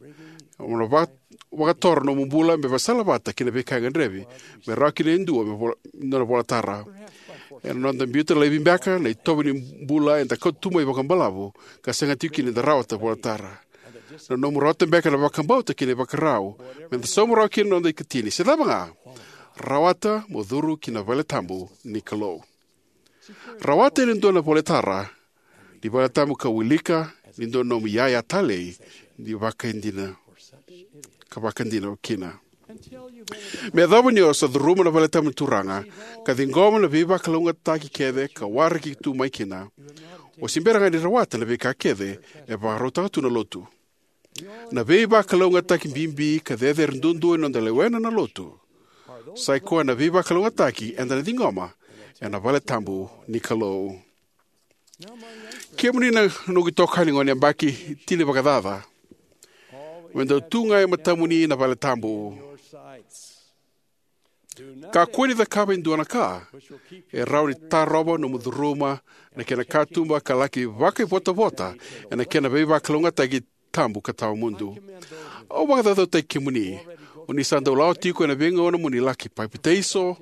mo na va-, vakatoro na nomu bula me vakasalavata kei na veika e gadrevi me rawa kina e dua me vola, na volatara. Ena noda biuta laivi beka na itovo ni bula eda kauta tu mai vakabalavu ka sega tiko kina eda rawata volatara. Na nomu rawata beka na vakabauta kei na ivakarau me da sauma rawa kina na noda ikatini se cava ga. Rawata mo curu ki na vale tabu ni Kalou. Rawata ena dua na volatara ni vale tabu ka wilika ni dua na nomu iyaya talei ni vakaidina ka vakadina kina. Me yacova ni o sa curuma na vale tabu ni Turaga ka ciqoma na veivakalougatataki kece ka waraki tu mai kina, o se bera ga ni rawata na veika kece e vakarautaka tu na Lotu. Na veivakalougatataki bibi ka cecere duadua ni noda lewena na Lotu sai koya na veivakalougatataki eda na ciqoma ena vale tabu ni Kalou. Kemuni na noqu itokani gone yabaki tini vakacaca, me dau tu ga e matamuni na vale tabu. Kakua ni cakava e dua na ka e rawa ni tarova nomu curuma na kena katuba ka laki vakaivotavota ena kena veivakalougatataki tabu ka tawamudu. Au vakacaucautaki kemuni, o ni sa dau lako tiko ena veigauna mo ni laki papitaiso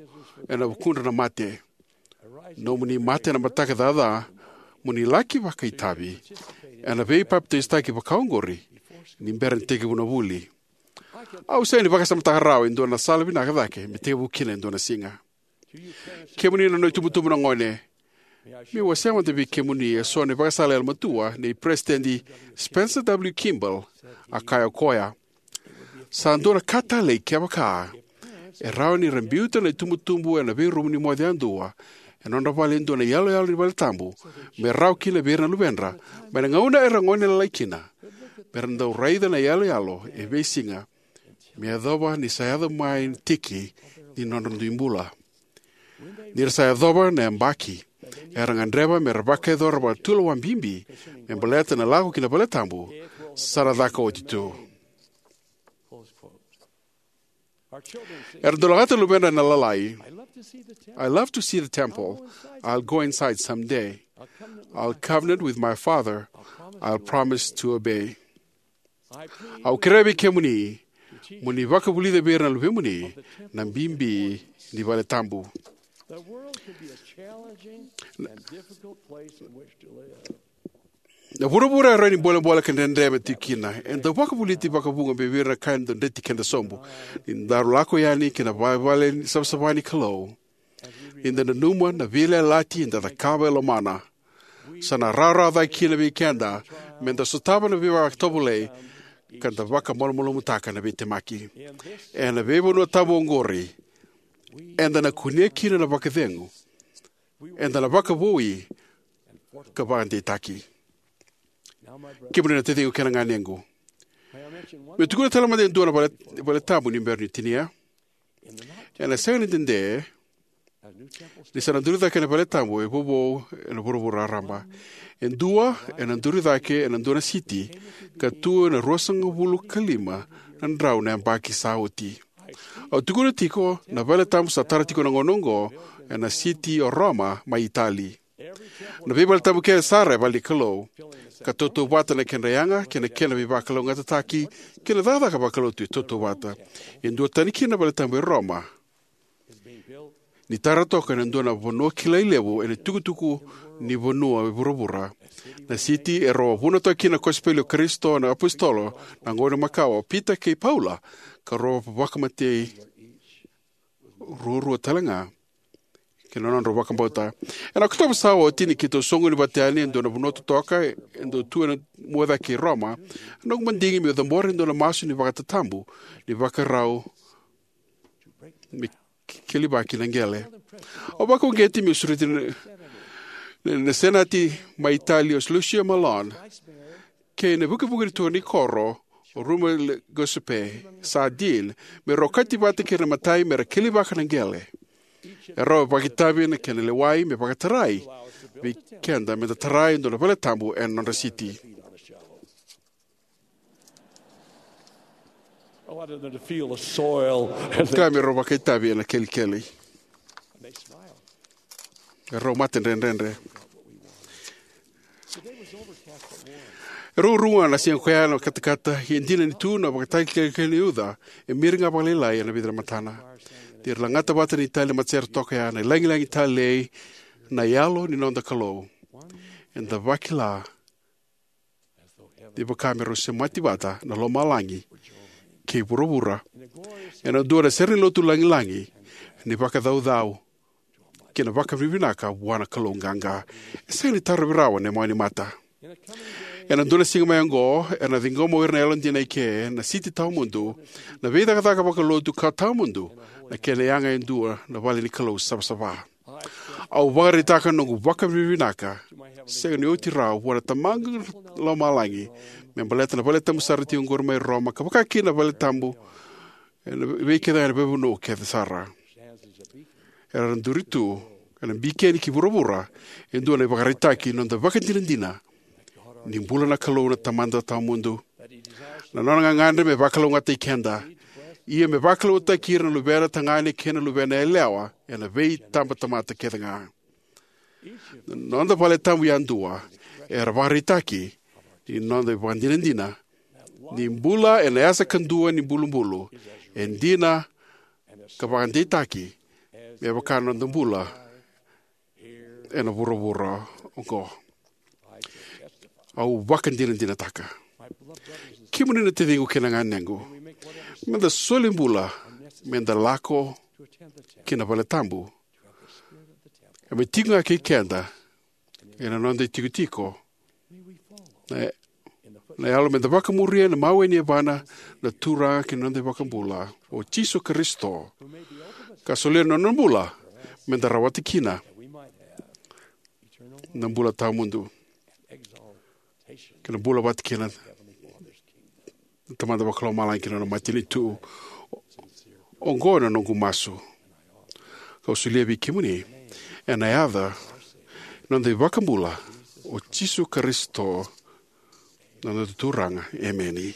ena vukudra na mate. Nomuni mate ena mataka caca mo ni laki vakaitavi ena veipapitaisotaki vakaoqori ni bera ni tekivu na vuli. Au sega ni vakasamataka rawa e dua na sala vinaka cake me tekivu kina e dua na siga. Kemuni na noqu itubutubu na gone, meu wasea mada vei kemuni eso na ivakasala yalomatua nei Peresitedi Spencer W. Kimball. A kaya o koya, sa dua na ka talei kevaka e rawa ni ra biuta na itubutubu ena veirumu ni moce yadua ena nodra vale e dua na iyaloyalo ni vale tabu me rawa kina vei ira na luvedra mai na gauna era gone lailai kina, me ra dau raica na iyaloyalo e veisiga me yacova ni sa yaco mai na tiki ni nodra dui bula. Ni ra sa yacova na yabaki era gadreva me ra vakayacora vakatulewa bibi me baleta na lako ki na vale tabu, sa na caka oti tu. Era dau lagata na luvedra na lalai, "I love to see the temple. I'll go inside someday. I'll covenant with my father. I'll promise to obey." Au kerea vei kemuni mo ni vakavulica vei ira na luvemuni na bibi ni vale tabu. Na vuravura e rawa ni bolebole ka dredre me tiko kina. E dau vakavulici vakavuqa vei ira na ka e dau dreti keda sobu. Ni daru lako yani ki na vale savasava ni Kalou, ni da nanuma na veiyalayalati eda cakava e lomana, sa na rawarawa cake kina vei keda me da sotava na veivakatovolei ka da vakamalumalumutaka na veitemaki. Ena veivanua tabu oqori, eda na kunea kina na vakacegu, eda na vakavoui ka vakadeitaki. Kemuni na taciqu kei na ganequ, meu tukuna tale mada e dua na vale, vale tabu ni bera ni tinia. Ena sega ni dede ni sa na duri cake na vale tabu e vovou ena vuravura raraba. E dua ena duri cake ena dua na siti ka tu ena ruasagavulu ka lima na drau na yabaki sa oti. Au tukuna tiko na vale tabu sa tara tiko na gauna oqo ena siti o Roma mai Itali. Na veivale tabu kece sara e vale ni Kalou, ka tautauvata na kedra yaga kei na kena veivakalougatataki kei na cakacaka vakalotu e tautauvata. E duatani kina na vale tabu e Roma, ni tara toka ena dua na vanua kilai levu ena itukutuku ni vanua e vuravura. Na siti erau a vunataka kina na kosipeli o Karisito na apositolo na gauna makawa o Pita kei Paula, ka rau vakamatei ruarua tale ga kei na nodrau vakabauta. Ena Okotova sa oti, ni keitou soqoni vata yani e dua na vanua totoka e dau tu ena muacake i Roma, a noqu madigi meu cabora e dua na masu ni vakatatabu ni vakarau me kelivaki na qele. Au vakauqeti meu sureti na, na, na seneta mai Itali o Lucio Malan kei na vukevuke ni turaga ni koro o Roma Giuseppe Sardini me rau okati vata kei ira na imatai me ra kelivaka na qele. E rau vakaitavi ena kena lewai me vakatarai vei keda me da tara e dua na vale tabu ena nodra siti. Ka me rau vakaitavi ena kelikeli. E rau mate dredredre. E rugurugu ga na siga koya na katakata, e dina ni tu na ivakatakilakila ni uca e miri ga vakalailai ena vica na matana. Ni ra lagata vata na italei matasere toka ya, na lagilagi talei, na Yalo ni noda Kalou. Eda vakila ni vaka me rau semati vata na lomalagi kei vuravura ena dua na serenilotu lagilagi ni vakacaucau kei na vakavinavinaka vua na Kalou qaqa. E sega ni tarovi rawa na mawe ni mata. Ena dua na siga mai oqo, era na ciqoma o ira na yalodina eke na siti tawamudu na veicakacaka vakalotu ka tawamudu na kena yaga e dua na vale ni Kalou savasava. Au vakaraitaka na noqu vakavinavinaka sega ni oti rawa vua na Tamaqu Lomalagi me baleta na valetabu sara tiko oqori mai Roma, ka vakakina na valetabu ena vei kece ga na veivanua kece sara. Era na duri tu ena bikeni ki vuravura e dua na ivakaraitaki ni noda vakadinadina ni bula na Kalou na Tamada tawamudu, na nona gagadre me vakalougatataki keda, ia me vakalougatataki ira na luvena tagane kei na luvena yalewa ena veitabatamata kece ga. Na noda valetabu yadua era vakaraitaki ni noda ivakadinadina ni bula ena yasa kadua ni bulubulu e dina ka vakadeitaki me vaka na noda bula ena vuravura oqo. Au vakadinadinataka, kemuni na taciqu kei na ganequ, meda soli bula meda lako ki na valetabu, ka me tiko ga kei keda ena noda itikotiko na, na yalo, meda vakamuria na mawe ni yavana na Turaga kei na noda iVakabula o Jisu Karisito, ka solia na nona bula meda rawata kina na bula tawamudu kei na bula vata kei na Tamada Vakalomalagi kei na nona matanitu. Oqo na noqu masu, kau solia vei kemuni ena yaca ni noda iVakabula o Jisu Karisito, na noda Turaga. Emeni.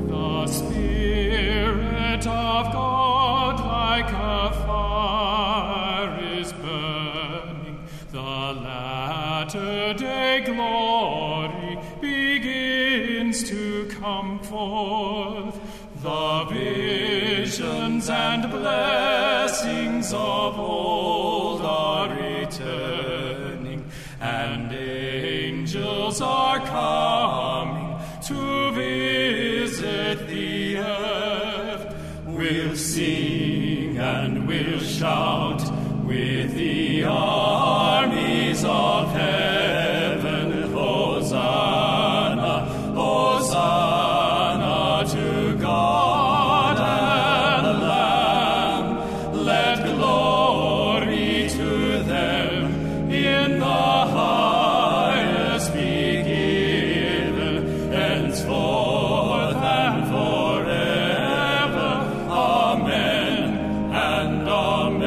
The Spirit of God like a fire is burning. The latter day glory begins to come forth. The visions and blessings of old are returning, and angels are coming to visit the earth. We'll sing and we'll shout with the armies of heaven. Hosanna, Hosanna to God and Lamb. Let glory to them in the highest be given, henceforth and forever. Amen and amen.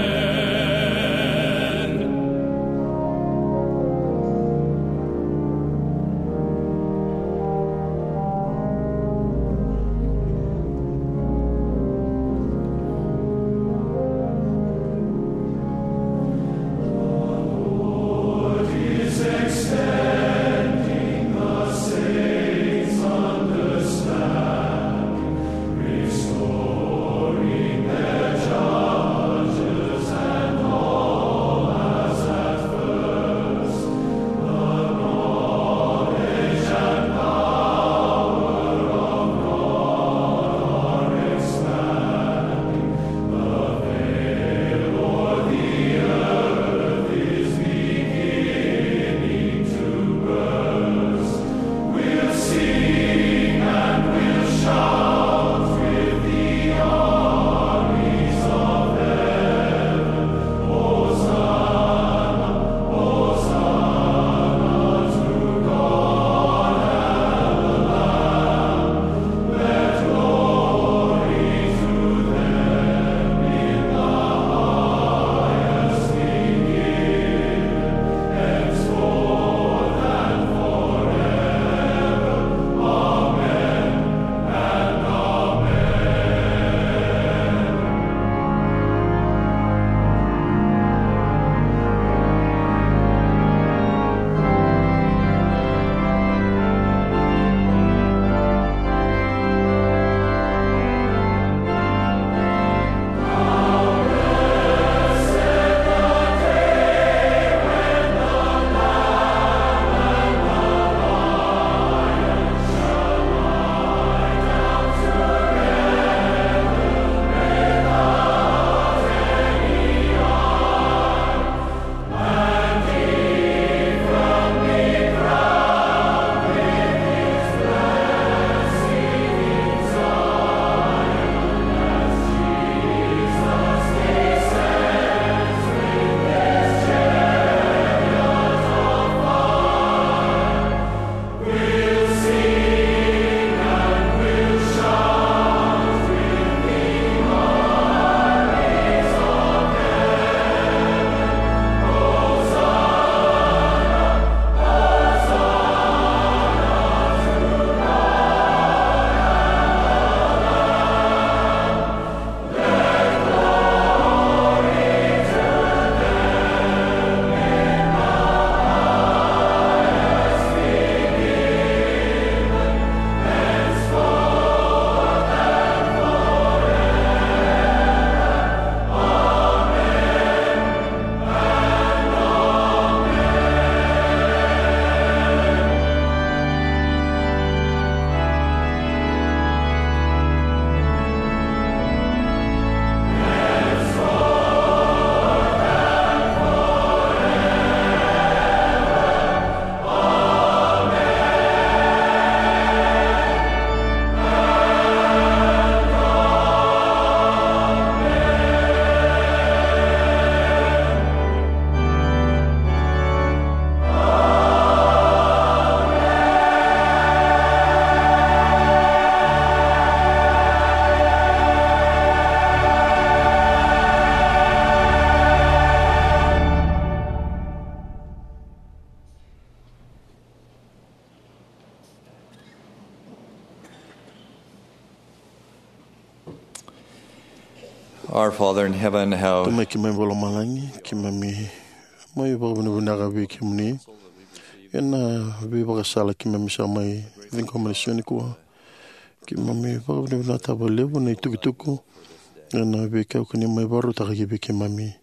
Our Father in heaven, how Tamai keimami vakalomalagi, keimami mai vakavinavinaka vei kemuni ena veivakasala keimami sa mai ciqoma ena siga nikua. Keimami vakavinavinakataka vakalevu na itukutuku ena veika ko ni mai vakarautaka ki vei keimami.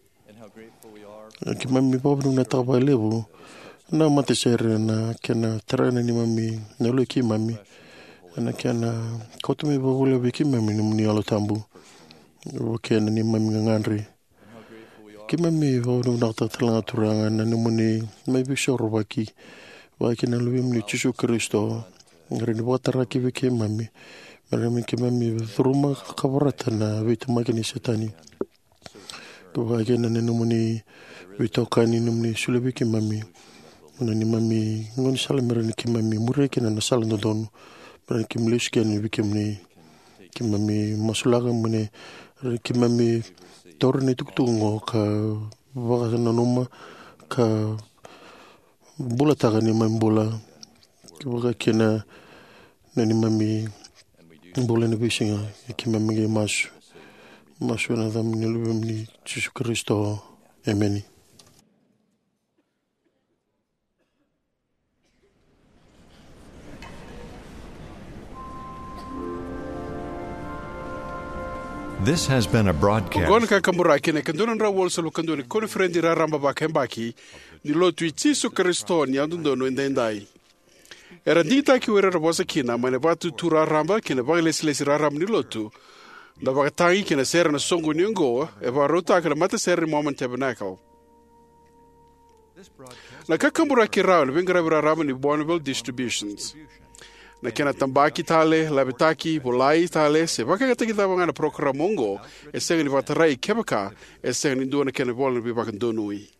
Keimami vakavinavinakataka vakalevu na matasere na kena tara na neimami, na yalo i keimami, ena kena kauta mai vakavolivoliti vei keimami na nomuni Yalo Tabu. Vaka kina na neimami gagadre. Keimami vakavinavinakataka tale ga, Turaga, na nomuni mai veisorovaki vaka kina na Luvemuni o Jisu Karisito, era ni vakatara ki vei keimami, me rawa ni keimami curuma ka vorata na veitemaki ni Setani. Ka vaka kina na nomuni veitokani, nomuni solia vei keimami na neimami gaunisala me rawa ni keimami muria kina na sala dodonu, me rawa ni keimami lesu kina vei kemuni. Keimami masulaka mo ni, keimami taura na itukutuku oqo ka vakananuma ka bulataka neimami bula, ka vaka kina na neimami bula ena veisiga. Keimami qai masu, masu ena yaca ni Luvemuni Jisu Karisito. Emeni. This has been a broadcast. Oqo na Kakaburaki, na ika dua na drau walusagavulu ka dua ni Koniferedi Raraba Vakayabaki ni Lotu i Jisu Karisito ni Yalododonu Edaidai. Era digitaki o ira era vosa kina mai na Vatutu Raraba kei na Vakalesilesi Raraba ni Lotu, na vakatagi kei na sere ena soqoni oqo e vakarautaka na matasere ni Mormon Tabernacle. Na Kakaburaki rawa ena veiqaravi raraba ni Bonneville Distributions. Na kena tabaki tale, lavetaki, volai tale, se vakayagataki cava ga na parokaramu oqo, e sega ni vakatarai kevaka e sega ni dua na kena ivola ni veivakadonui.